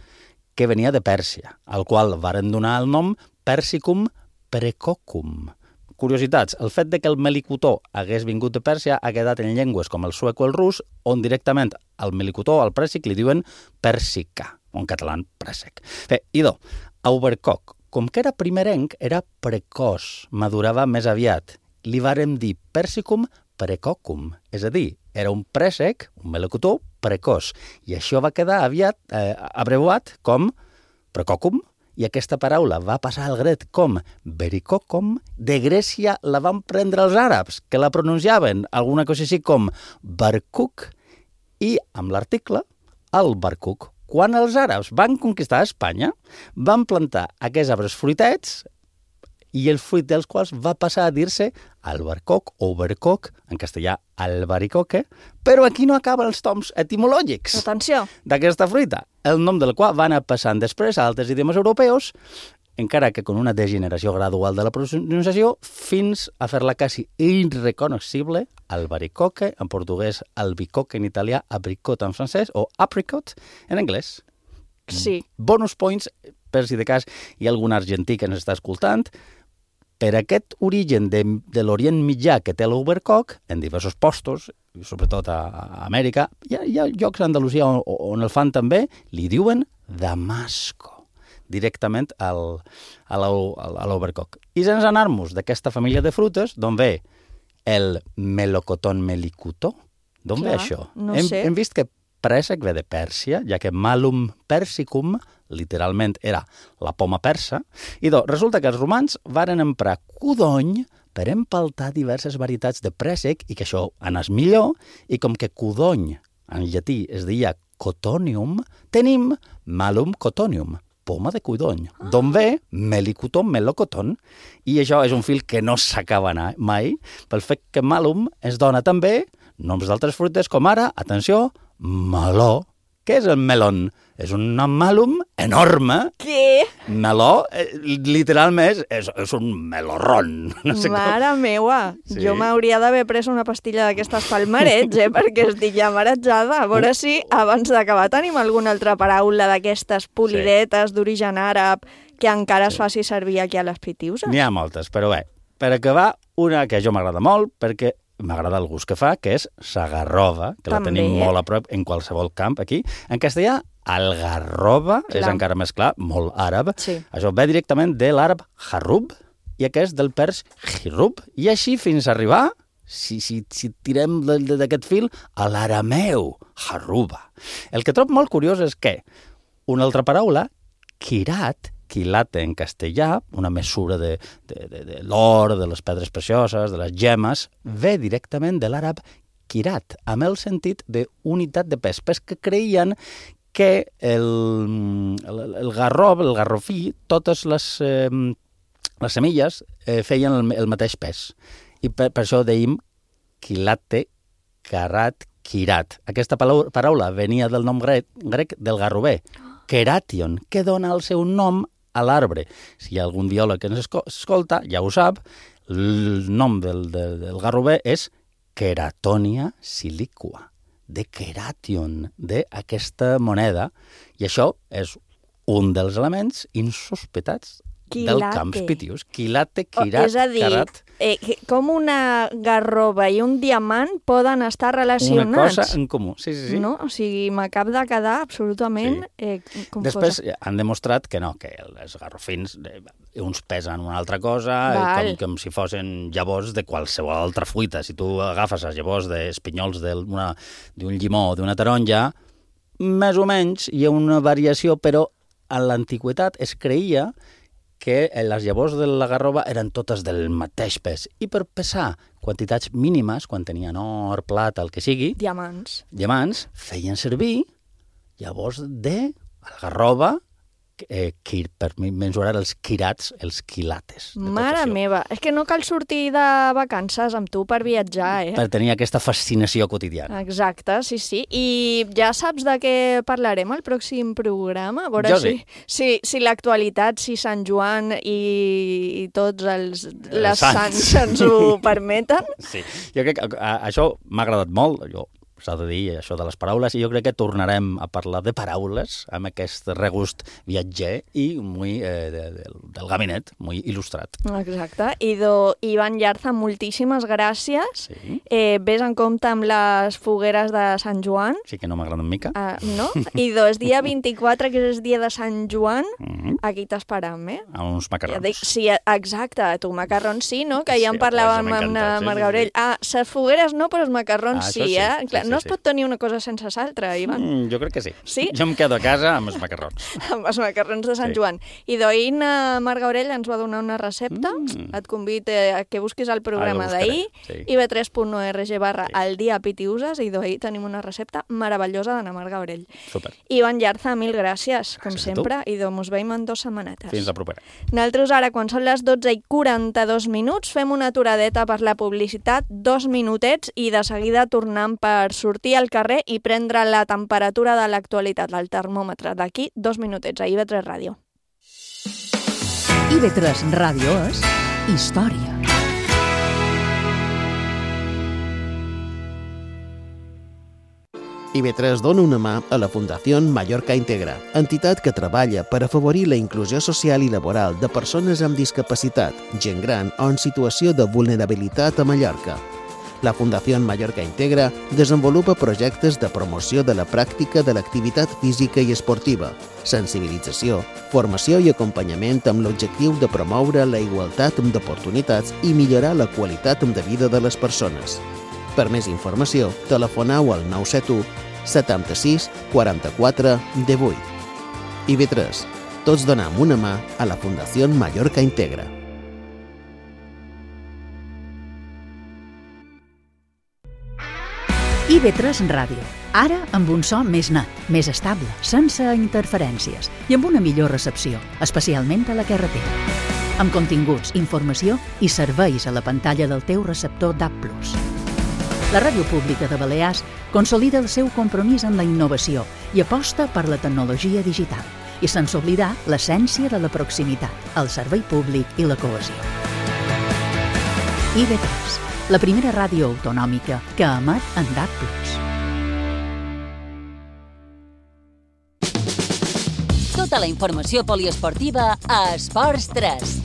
que venia de Pèrsia, al qual varen donar el nom Persicum precocum. Curiositats, el fet de que el melicotó hagués vingut de Pèrsia ha quedat en llengües com el suec o el rus, on directament al melicotó, al prèssic, li diuen persica, o en català préssec. Bé, idò, overcock, com que era primerenc, era precoç, madurava més aviat. Li vàrem dir persicum precocum, és a dir, era un préssec, un melocotó, precoç. I això va quedar aviat eh, abreuat com precocum, i aquesta paraula va passar al grec com bericocom. De Grècia la van prendre els àrabs, que la pronunciaven alguna cosa així com barkuk, i amb l'article, el barkuk. Quan els àrabs van conquistar Espanya, van plantar aquests arbres fruitets, i el fruit dels quals va passar a dir-se albercoc o bercoc, en castellà albaricoque, però aquí no acaben els toms etimològics. Atenció! D'aquesta fruita, el nom del qual va anar passant després a altres idiomes europeus, encara que con una degeneració gradual de la pronunciació, fins a fer-la quasi irreconocible, albaricoque, en portuguès albicoque, en italià apricot en francès, o apricot en anglès. Sí. Bonus points, per si de cas hi ha algun argentí que ens està escoltant. Per aquest origen de, de l'Orient Mitjà que té l'overcock, en diversos postos, sobretot a, a Amèrica, hi ha, hi ha llocs a Andalusia on, on el fan també, li diuen damasco, directament al, a l'overcock. I sense anar-nos d'aquesta família de frutes, d'on ve el melocotón melicutó? D'on ve això? No hem, sé. hem vist que préssec ve de Pèrsia, ja que malum persicum literalment era la poma persa, i doncs resulta que els romans varen emprar codony per empaltar diverses varietats de préssec i que això anés millor, i com que codony en llatí es deia cotonium, tenim malum cotonium, poma de codony, ah. d'on ve melicoton, melocoton, i això és un fil que no s'acaba mai, pel fet que malum es dona també noms d'altres fruites com ara, atenció, meló, Què és el melón? És un màlum enorme. Què? Meló, eh, literalment, és, és un melorrón. No sé Mare com. meua, Sí. jo m'hauria d'haver pres una pastilla d'aquestes palmarets, eh, perquè estic ja marejada. A veure si abans d'acabar tenim alguna altra paraula d'aquestes polidetes sí. d'origen àrab que encara sí. es faci servir aquí a les Pitiuses. N'hi ha moltes, però bé, per acabar, una que a jo m'agrada molt, perquè m'agrada el gust que fa, que és sagarrova, que També, la tenim eh? molt a prop en qualsevol camp aquí. En castellà, algarroba, Clar. és encara més clar, molt àrab. Sí. Això ve directament de l'àrab harrub i aquest del pers hirub. I així fins a arribar, si, si, si tirem d'aquest fil, a l'arameu, harruba. El que trobo molt curiós és que una altra paraula, quirat, quilate en castellà, una mesura de, de, de, de l'or, de les pedres precioses, de les gemes, ve directament de l'àrab quirat, amb el sentit d'unitat de pes, pes que creien que el, el, el garrob, el garrofí, totes les, eh, les semilles eh, feien el, el mateix pes. I per, per això deim quilate, carat, quirat. Aquesta paraula, paraula venia del nom grec, grec del garrover, keration, que dona el seu nom a l'arbre. Si hi ha algun biòleg que ens escolta, ja ho sap, el nom del, del, del garrover és Keratonia silicua, de keration, d'aquesta moneda. I això és un dels elements insospectats Quilate. del camps pitius. Quilate, quirat, Oh, és a dir, carat. eh, com una garrova i un diamant poden estar relacionats. Una cosa en comú, sí, sí, sí. No? O sigui, m'acab de quedar absolutament sí. eh, confosa. Després han demostrat que no, que els garrofins, eh, uns pesen una altra cosa, Val. com, com si fossin llavors de qualsevol altra fruita. Si tu agafes les llavors d'espinyols d'un llimó o d'una taronja, més o menys hi ha una variació, però a l'antiguitat es creia que les llavors de la garrova eren totes del mateix pes. I per pesar quantitats mínimes, quan tenien or, plata, el que sigui, Diamants. diamants, feien servir llavors de algarroba eh, quir, per mesurar els quirats, els quilates. Mare meva, és que no cal sortir de vacances amb tu per viatjar, eh? Per tenir aquesta fascinació quotidiana. Exacte, sí, sí. I ja saps de què parlarem al pròxim programa? A veure Jo si, sí. si, si l'actualitat, si Sant Joan i, i tots els, les sants. sants ens ho permeten. Sí, jo crec que a, això m'ha agradat molt, jo s'ha de dir això de les paraules, i jo crec que tornarem a parlar de paraules amb aquest regust viatger i muy, eh, de, de, del gabinet, muy il·lustrat. Exacte. I do, Ivan Llarza, moltíssimes gràcies. Sí. Eh, ves en compte amb les fogueres de Sant Joan. Sí que no m'agrada mica. Uh, no? I dos, dia vint-i-quatre, que és dia de Sant Joan, Mm-hmm. aquí t'esperam, eh? A uns macarrons. Ja dic, sí, exacte, tu macarrons sí, no? Que ja en Sí, parlàvem pues, amb m'ha encantat, sí, Marc sí, Gabriel. sí. Ah, les fogueres no, però els macarrons Ah, sí, això sí, eh? sí, Clar, sí, no sí. es pot tenir una cosa sense l'altra, Ivan. Mm, jo crec que sí. Sí? Jo em quedo a casa amb els macarrons. Amb els macarrons de Sant Sí. Joan. I d'ahir Marc Gabriel ens va donar una recepta. Mm. Et convido a que busquis el programa Ah, la buscaré, d'ahir, sí. i be tres punt org barra el dia Pitiuses, i d'ahir tenim una recepta meravellosa d'Anna Marc Gabriel. Super. Ivan Llarza, mil gràcies, com Gràcies a tu. sempre, i doncs mos veiem en dues setmanetes. Fins la propera. Nosaltres ara, quan són les dotze i quaranta-dos minuts, fem una aturadeta per la publicitat, dos minutets, i de seguida tornem per sortir al carrer i prendre la temperatura de l'actualitat, el termòmetre, d'aquí dos minutets, a I V tres Ràdio. I V tres Ràdio és història. I V tres dona una mà a la Fundació Mallorca Integra, entitat que treballa per afavorir la inclusió social i laboral de persones amb discapacitat, gent gran o en situació de vulnerabilitat a Mallorca. La Fundació Mallorca Integra desenvolupa projectes de promoció de la pràctica de l'activitat física i esportiva, sensibilització, formació i acompanyament amb l'objectiu de promoure la igualtat d'oportunitats i millorar la qualitat de vida de les persones. Per més informació, telefoneu al nou set u setanta-sis quaranta-quatre divuit. I V tres. Tots donem una mà a la Fundació Mallorca Integra. I V tres Ràdio. Ara amb un so més net, més estable, sense interferències i amb una millor recepció, especialment a la carretera. Amb continguts, informació i serveis a la pantalla del teu receptor D A B plus. La Ràdio Pública de Balears consolida el seu compromís amb la innovació i aposta per la tecnologia digital. I sense oblidar l'essència de la proximitat, el servei públic i la cohesió. I B tres, la primera ràdio autonòmica que emet en D A B plus. Tota la informació poliesportiva a Esports tres.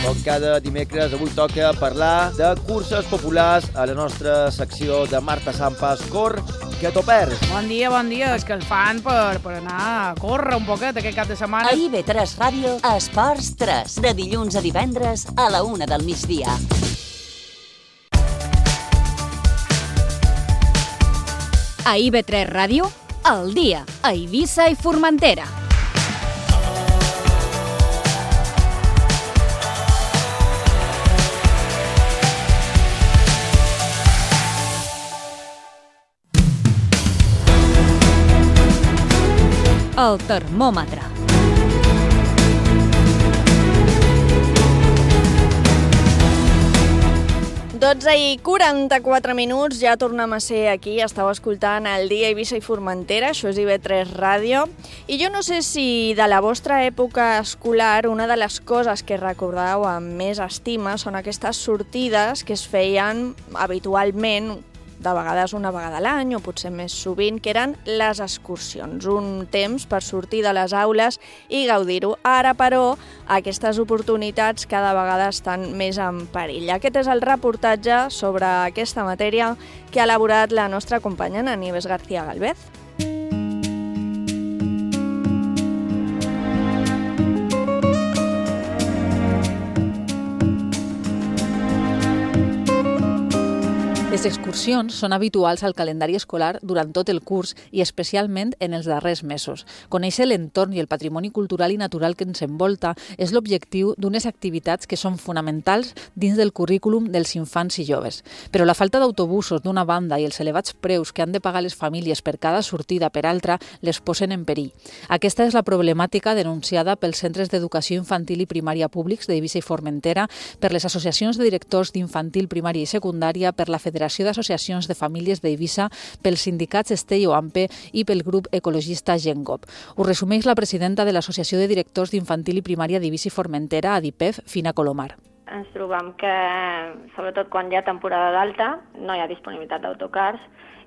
Com cada dimecres, avui toca parlar de curses populars a la nostra secció de Marta Sampas Cor, que t'ho perds. Bon dia, bon dia. Escalfant per, per anar a córrer un poquet aquest cap de setmana. A I B tres Ràdio, Esports tres, de dilluns a divendres a la una del migdia. A I B tres Ràdio, al dia, a Eivissa i Formentera. El termòmetre. dotze i quaranta-quatre minuts, ja tornem a ser aquí, estàu escoltant el dia Eivissa i Formentera, això és I B tres Ràdio, i jo no sé si de la vostra època escolar una de les coses que recordeu amb més estima són aquestes sortides que es feien habitualment, de vegades una vegada a l'any o potser més sovint, que eren les excursions, un temps per sortir de les aules i gaudir-ho. Ara, però, aquestes oportunitats cada vegada estan més en perill. Aquest és el reportatge sobre aquesta matèria que ha elaborat la nostra companya Nieves García Galvez. Les excursions són habituals al calendari escolar durant tot el curs i especialment en els darrers mesos. Conèixer l'entorn i el patrimoni cultural i natural que ens envolta és l'objectiu d'unes activitats que són fonamentals dins del currículum dels infants i joves. Però la falta d'autobusos d'una banda i els elevats preus que han de pagar les famílies per cada sortida per altra les posen en perill. Aquesta és la problemàtica denunciada pels centres d'educació infantil i primària públics d'Eivissa i Formentera, per les associacions de directors d'infantil, primària i secundària, per la Federació d'Associacions de Famílies d'Eivissa, pels sindicats Estell o AMPE i pel grup ecologista Gengop. Ho resumeix la presidenta de l'Associació de Directors d'Infantil i Primària d'Eivissa i Formentera, ADIPEF, Fina Colomar. Ens trobem que, sobretot quan hi ha temporada d'alta, no hi ha disponibilitat d'autocars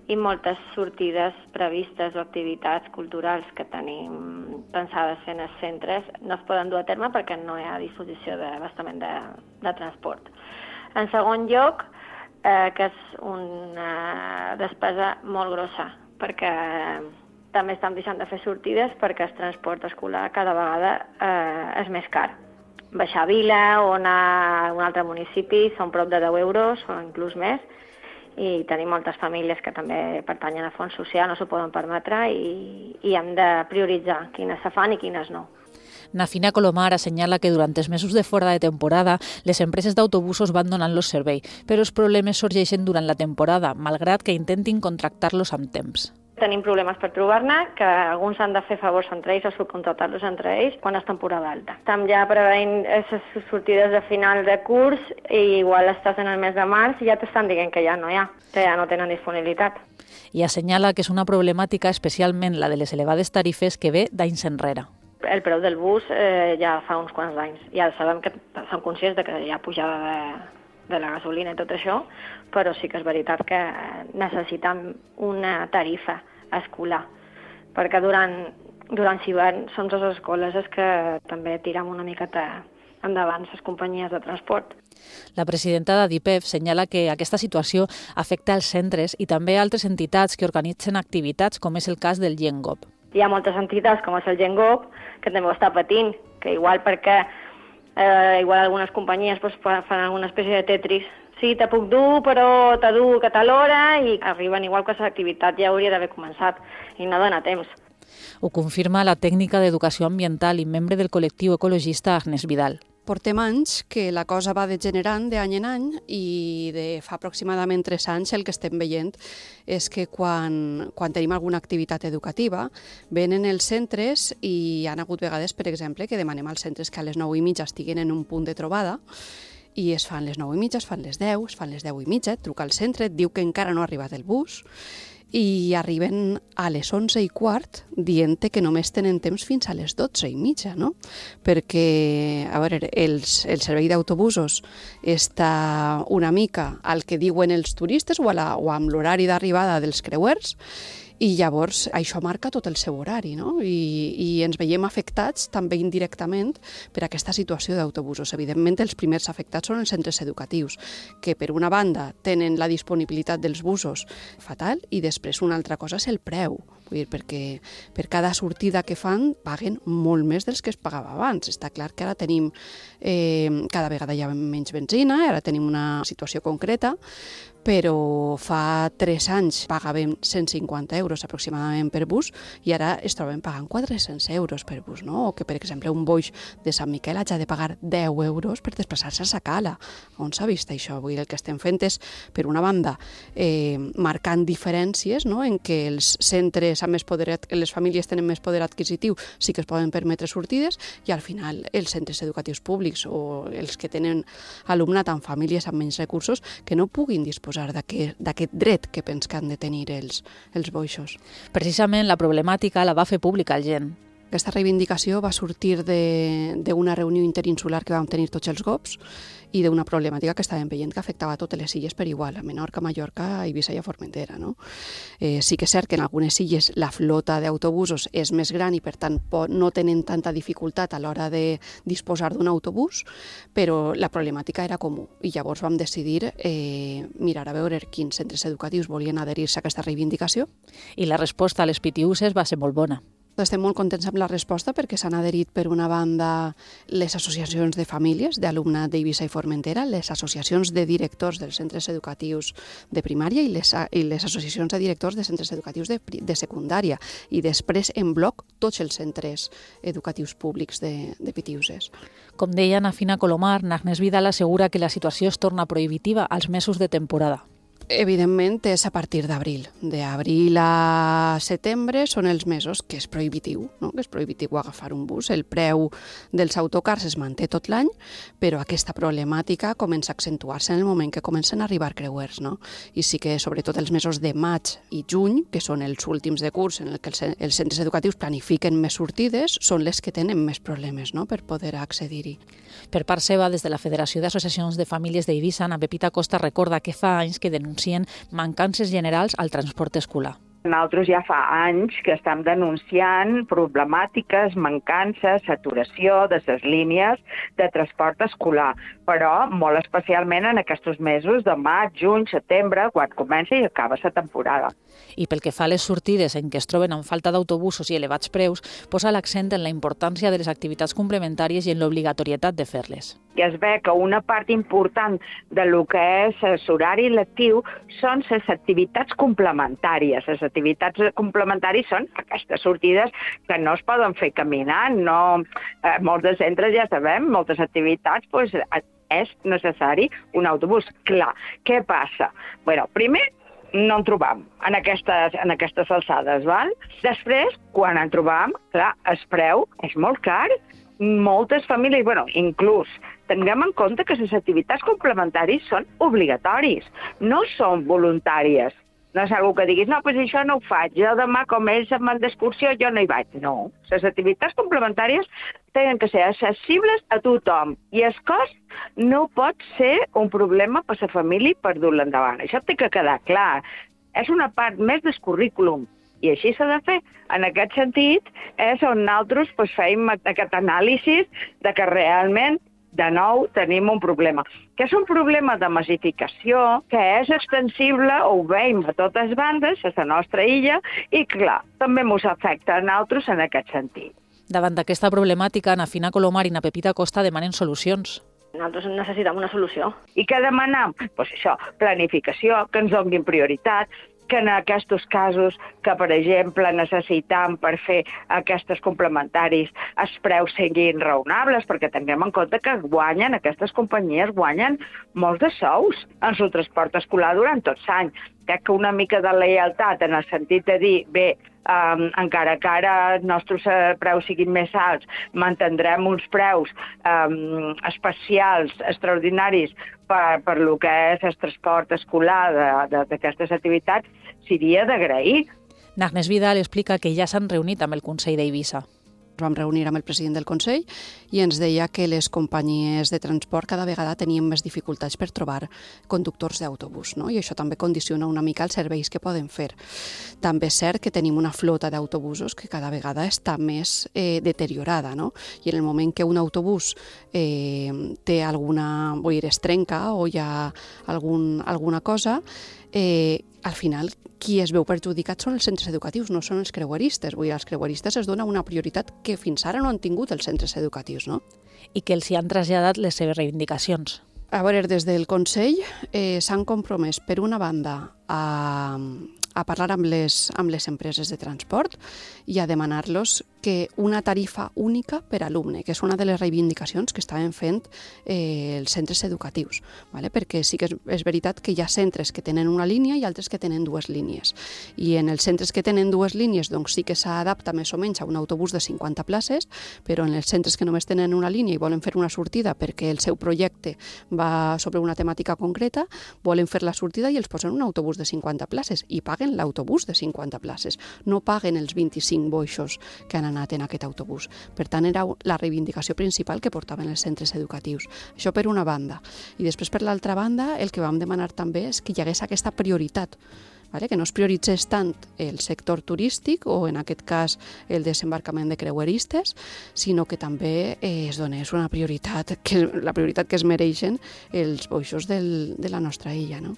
i moltes sortides previstes o activitats culturals que tenim pensades en els centres no es poden dur a terme perquè no hi ha disposició d'abastament de, de transport. En segon lloc, Eh, que és una despesa molt grossa, perquè també estem deixant de fer sortides perquè el transport escolar cada vegada eh, és més car. Baixar a Vila o anar a un altre municipi són prop de deu euros o inclús més, i tenim moltes famílies que també pertanyen a fons social, no s'ho poden permetre i, i hem de prioritzar quines se fan i quines no. Nafina Colomar assenyala que durant els mesos de fora de temporada les empreses d'autobusos van donant-los servei, però els problemes sorgeixen durant la temporada, malgrat que intentin contractar-los amb temps. Tenim problemes per trobar-ne, que alguns han de fer favors entre ells o subcontratar-los entre ells quan és temporada alta. Estem ja preveient aquestes sortides de final de curs i igual estàs en el mes de març i ja t'estan dient que ja no hi ha, que ja no tenen disponibilitat. I assenyala que és una problemàtica especialment la de les elevades tarifes que ve d'anys enrere. El preu del bus eh, ja fa uns quants anys. Ja sabem que som conscients de que hi ha pujada de, de la gasolina i tot això, però sí que és veritat que necessitem una tarifa escolar, perquè durant, durant l'hivern som les escoles les que també tirem una miqueta endavant les companyies de transport. La presidenta d'ADIPEF senyala que aquesta situació afecta els centres i també altres entitats que organitzen activitats, com és el cas del Gengop. Hi ha moltes entitats, com és el Gengop, que també ho està patint, que igual perquè eh, igual algunes companyies pues, fan alguna espècie de Tetris. Sí, te puc dur, però te dur a tal hora, i arriben igual que l'activitat ja hauria d'haver començat, i no dona temps. Ho confirma la tècnica d'educació ambiental i membre del col·lectiu ecologista Agnès Vidal. Portem anys que la cosa va degenerant d'any en any i de fa aproximadament tres anys el que estem veient és que quan, quan tenim alguna activitat educativa venen els centres i hi ha hagut vegades, per exemple, que demanem als centres que a les nou i mitja estiguin en un punt de trobada i es fan les nou i mitja, es fan les deu, es fan les deu i mitja, et truca al centre, et diu que encara no ha arribat el bus i arriben a les onze i quart dient que només tenen temps fins a les dotze i mitja, no? Perquè, a veure, els, el servei d'autobusos està una mica al que diuen els turistes o, a la, o amb l'horari d'arribada dels creuers, i llavors això marca tot el seu horari, no? I, i ens veiem afectats també indirectament per aquesta situació d'autobusos. Evidentment, els primers afectats són els centres educatius, que per una banda tenen la disponibilitat dels busos fatal i després una altra cosa és el preu. Vull dir, perquè per cada sortida que fan paguen molt més dels que es pagava abans. Està clar que ara tenim, eh, cada vegada hi ha menys benzina, ara tenim una situació concreta, però fa tres anys pagàvem cent cinquanta euros aproximadament per bus i ara es troben pagant quatre-cents euros per bus, no? O que, per exemple, un boix de Sant Miquel hagi de pagar deu euros per desplaçar-se a Sacala. On s'ha vist això? Vull dir, el que estem fent és, per una banda, eh, marcant diferències, no? En què els centres amb més poder, les famílies tenen més poder adquisitiu, sí que es poden permetre sortides, i al final els centres educatius públics o els que tenen alumnat amb famílies amb menys recursos que no puguin disposar d'aquest dret que pens que han de tenir els, els boixos. Precisament la problemàtica la va fer pública el G E N. Aquesta reivindicació va sortir d'una reunió interinsular que vam tenir tots els G O Ps i d'una problemàtica que estàvem veient que afectava totes les illes per igual, a Menorca, Mallorca, Eivissa i a Formentera. No? Eh, sí que és cert que en algunes illes la flota d'autobusos és més gran i per tant no tenen tanta dificultat a l'hora de disposar d'un autobús, però la problemàtica era comú i llavors vam decidir eh, mirar a veure quins centres educatius volien adherir-se a aquesta reivindicació. I la resposta a les pitiuses va ser molt bona. Estem molt contents amb la resposta perquè s'han adherit per una banda les associacions de famílies d'alumnat d'Eivissa i Formentera, les associacions de directors dels centres educatius de primària i les, i les associacions de directors de centres educatius de, de secundària i després en bloc tots els centres educatius públics de, de Pitiuses. Com deia Ana Fina Colomar, Agnès Vidal assegura que la situació es torna prohibitiva als mesos de temporada. Evidentment és a partir d'abril. D'abril a setembre són els mesos que és prohibitiu, no? Que és prohibitiu agafar un bus. El preu dels autocars es manté tot l'any, però aquesta problemàtica comença a accentuar-se en el moment que comencen a arribar creuers, no? I sí que sobretot els mesos de maig i juny, que són els últims de curs en què els centres educatius planifiquen més sortides, són les que tenen més problemes, no? Per poder accedir-hi. Per part seva, des de la Federació d'Associacions de Famílies d'Eivissa, Ana Pepita Costa recorda que fa anys que denuncien mancances generals al transport escolar. Nosaltres ja fa anys que estem denunciant problemàtiques, mancances, saturació de les línies de transport escolar, però molt especialment en aquests mesos de maig, juny, setembre, quan comença i acaba la temporada. I pel que fa a les sortides en què es troben amb falta d'autobusos i elevats preus, posa l'accent en la importància de les activitats complementàries i en l'obligatorietat de fer-les. I es ve que una part important de lo que és l'horari lectiu són les activitats complementàries. Les activitats complementàries són aquestes sortides que no es poden fer caminant. No, eh, molts de centres ja sabem, moltes activitats, pues, és necessari un autobús. Clar, què passa? Bueno, primer, no en trobam en aquestes, en aquestes alçades, val? Després, quan en trobam, clar, el preu és molt car. Moltes famílies, bueno, inclús, tinguem en compte que les activitats complementàries són obligatoris, no són voluntàries. No és algú que diguis, no, doncs això no ho faig, jo demà com ells em van d'excursió jo no hi vaig. No, les activitats complementàries tenen que ser accessibles a tothom i el cost no pot ser un problema per a la família per dur-la endavant. Això té que quedar clar. És una part més del currículum i així s'ha de fer. En aquest sentit és on nosaltres pues, feim aquest anàlisi de que realment de nou tenim un problema, que és un problema de massificació, que és extensible, ho veiem a totes bandes, a la nostra illa, i clar, també ens afecta a nosaltres en aquest sentit. Davant d'aquesta problemàtica, Ana Fina Colomar i Ana Pepita Costa demanen solucions. Nosaltres necessitem una solució. I què demanem? Pues això, planificació, que ens donin prioritat, que en aquests casos que, per exemple, necessitam per fer aquestes complementaris els preus siguin raonables, perquè tinguem en compte que guanyen, aquestes companyies guanyen molts de sous en el transport escolar durant tot l'any. crec que una mica de lleialtat en el sentit de dir, bé, um, encara que ara els nostres uh, preus siguin més alts, mantindrem uns preus um, especials, extraordinaris, per, per lo que és el transport escolar d'aquestes activitats, seria d'agrair. N'Agnès Vidal explica que ja s'han reunit amb el Consell d'Eivissa. Ens vam reunir amb el president del Consell i ens deia que les companyies de transport cada vegada tenien més dificultats per trobar conductors d'autobús, no? I això també condiciona una mica els serveis que poden fer. També és cert que tenim una flota d'autobusos que cada vegada està més eh, deteriorada, no? I en el moment que un autobús eh, té alguna, vull dir, es trenca o hi ha algun, alguna cosa, eh, al final qui es veu perjudicat són els centres educatius, no són els creueristes. Vull dir, als creueristes es dona una prioritat que fins ara no han tingut els centres educatius, no? I que els hi han traslladat les seves reivindicacions. A veure, des del Consell eh, s'han compromès, per una banda, a, a parlar amb les, amb les empreses de transport i a demanar-los que una tarifa única per alumne, que és una de les reivindicacions que estaven fent eh, els centres educatius, ¿vale? Perquè sí que és, és veritat que hi ha centres que tenen una línia i altres que tenen dues línies. I en els centres que tenen dues línies doncs sí que s'adapta més o menys a un autobús de cinquanta places, però en els centres que només tenen una línia i volen fer una sortida perquè el seu projecte va sobre una temàtica concreta, volen fer la sortida i els posen un autobús de cinquanta places i paguen l'autobús de cinquanta places, no paguen els vint-i-cinc boixos que han anat en aquest autobús. Per tant, era la reivindicació principal que portaven els centres educatius. Això per una banda. I després, per l'altra banda, el que vam demanar també és que hi hagués aquesta prioritat, vale? Que no es prioritzés tant el sector turístic o, en aquest cas, el desembarcament de creueristes, sinó que també eh, es donés una prioritat, que, la prioritat que es mereixen els boixos del, de la nostra illa, no?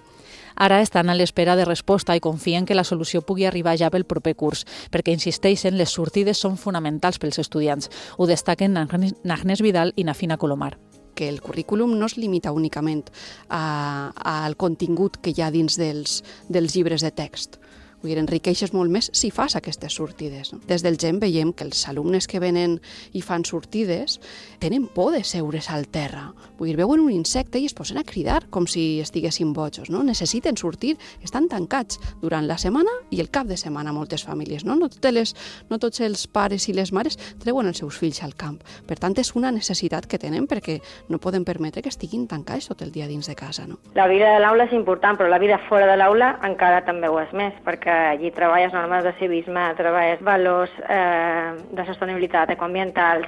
Ara estan a l'espera de resposta i confien que la solució pugui arribar ja pel proper curs, perquè insisteixen, les sortides són fonamentals pels estudiants. Ho destaquen N'Agnès Vidal i Nafina Colomar. Que el currículum no es limita únicament a, al contingut que hi ha dins dels, dels llibres de text. Vull dir, enriqueixes molt més si fas aquestes sortides. No? Des del G E M veiem que els alumnes que venen i fan sortides tenen por de seure's al terra. Vull dir, veuen un insecte i es posen a cridar com si estiguessin bojos. No? Necessiten sortir, estan tancats durant la setmana i el cap de setmana moltes famílies. No, no, totes les, no tots els pares i les mares treuen els seus fills al camp. Per tant, és una necessitat que tenen perquè no poden permetre que estiguin tancats tot el dia dins de casa. No? La vida de l'aula és important, però la vida fora de l'aula encara també ho és més, perquè allí treballes normes de civisme, treballes valors eh, de sostenibilitat, ecoambientals,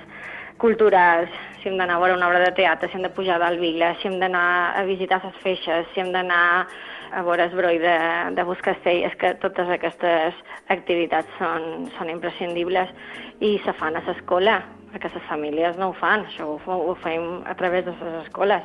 culturals, si hem d'anar a veure una obra de teatre, si hem de pujar del Vila, si hem d'anar a visitar les feixes, si hem d'anar a veure el broll de, de Buscastell, és que totes aquestes activitats són, són imprescindibles i se fan a l'escola, perquè les famílies no ho fan, això ho, ho fem a través de les escoles.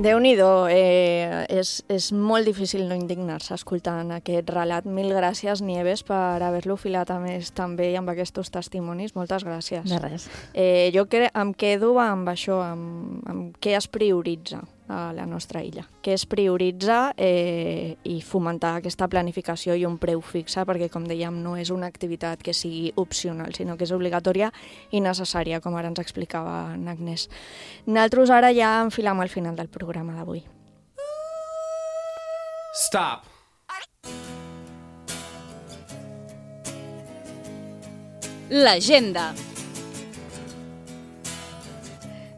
Déu-n'hi-do, eh, és, és molt difícil no indignar-se escoltant aquest relat. Mil gràcies, Nieves, per haver-lo filat a més també amb aquests testimonis. Moltes gràcies. De res. Eh, jo cre em quedo amb això, amb, amb què es prioritza a la nostra illa. Què es prioritza eh, i fomentar aquesta planificació i un preu fixe, perquè, com dèiem, no és una activitat que sigui opcional, sinó que és obligatòria i necessària, com ara ens explicava N'Agnès. Nosaltres ara ja enfilam al final del programa d'avui. Stop! L'agenda.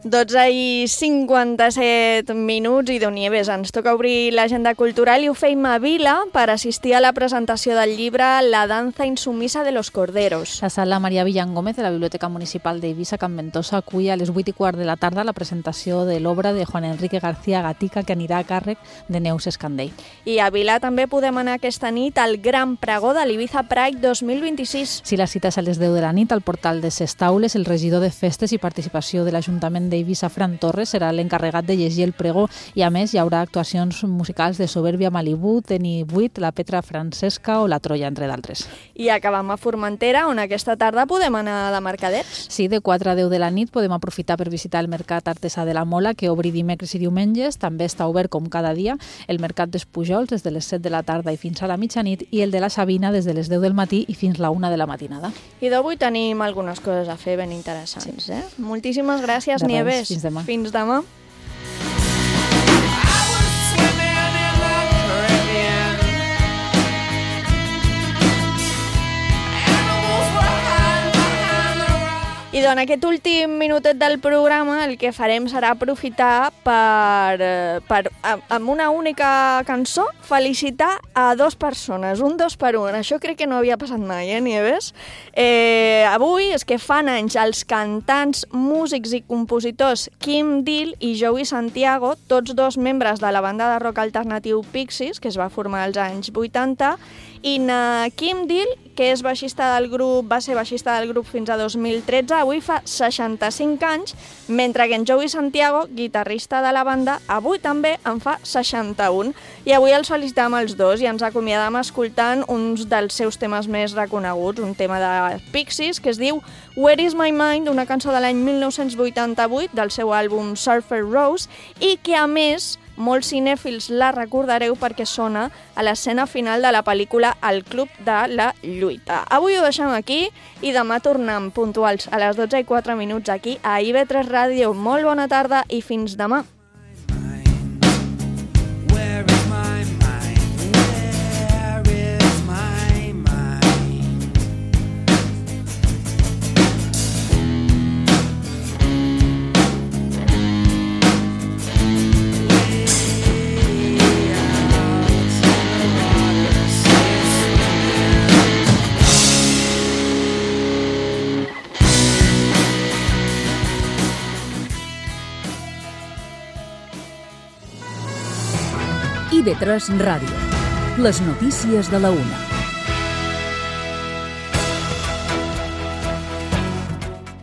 dotze i cinquanta-set minuts i Déu Nieves, ens toca obrir l'agenda cultural i ho feim a Vila per assistir a la presentació del llibre La danza insumisa de los corderos. La sala Maria Villan Gómez de la Biblioteca Municipal d'Eivissa, Can Ventosa, acull a les vuit i quart de la tarda la presentació de l'obra de Juan Enrique García Gatica, que anirà a càrrec de Neus Escandell. I a Vila també podem anar aquesta nit al Gran Pregó de l'Ibiza Pride dos mil vint-i-sis. Si la cita és a les deu de la nit al portal de Ses Taules, el regidor de Festes i Participació de l'Ajuntament d'Eivissa, Fran Torres, serà l'encarregat de llegir el pregó i, a més, hi haurà actuacions musicals de Soberbia Malibú, Teni vuit, La Petra Francesca o La Troia, entre d'altres. I acabam a Formentera, on aquesta tarda podem anar de mercadets. Sí, de quatre a deu de la nit podem aprofitar per visitar el Mercat Artesà de la Mola, que obri dimecres i diumenges. També està obert, com cada dia, el Mercat dels Pujols des de les set de la tarda i fins a la mitjanit i el de la Sabina des de les deu del matí i fins la una de la matinada. I d'avui tenim algunes coses a fer ben interessants. Sí. Eh? Moltíssimes gràcies, de Nieves. Nieves. Fins demà. Fins demà. I doncs, aquest últim minutet del programa el que farem serà aprofitar per, per amb una única cançó, felicitar a dues persones, un dos per un. Això crec que no havia passat mai, eh, Nieves? Eh, avui és que fan anys els cantants, músics i compositors Kim Deal i Joey Santiago, tots dos membres de la banda de rock alternatiu Pixies, que es va formar als anys vuitanta, i na Kim Deal, que és baixista del grup, va ser baixista del grup fins a dos mil tretze, avui fa seixanta-cinc anys, mentre que en Joey Santiago, guitarrista de la banda, avui també en fa seixanta-un. I avui els felicitam els dos i ens acomiadam escoltant uns dels seus temes més reconeguts, un tema de Pixies que es diu Where is my mind, una cançó de l'any mil nou-cents vuitanta-vuit del seu àlbum Surfer Rose, i que a més molts cinèfils la recordareu perquè sona a l'escena final de la pel·lícula El Club de la Lluita. Avui ho deixem aquí i demà tornem puntuals a les dotze i quatre minuts aquí a I V tres Ràdio. Molt bona tarda i fins demà. I V tres Ràdio. Les notícies de la una.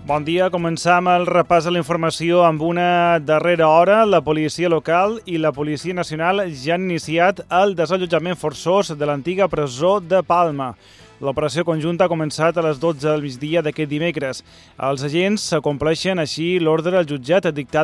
Bon dia, començam el repàs de la informació amb una darrera hora. La policia local i la policia nacional ja han iniciat el desallotjament forçós de l'antiga presó de Palma. L'operació conjunta ha començat a les dotze del migdia d'aquest dimecres. Els agents compleixen així l'ordre del jutjat dictat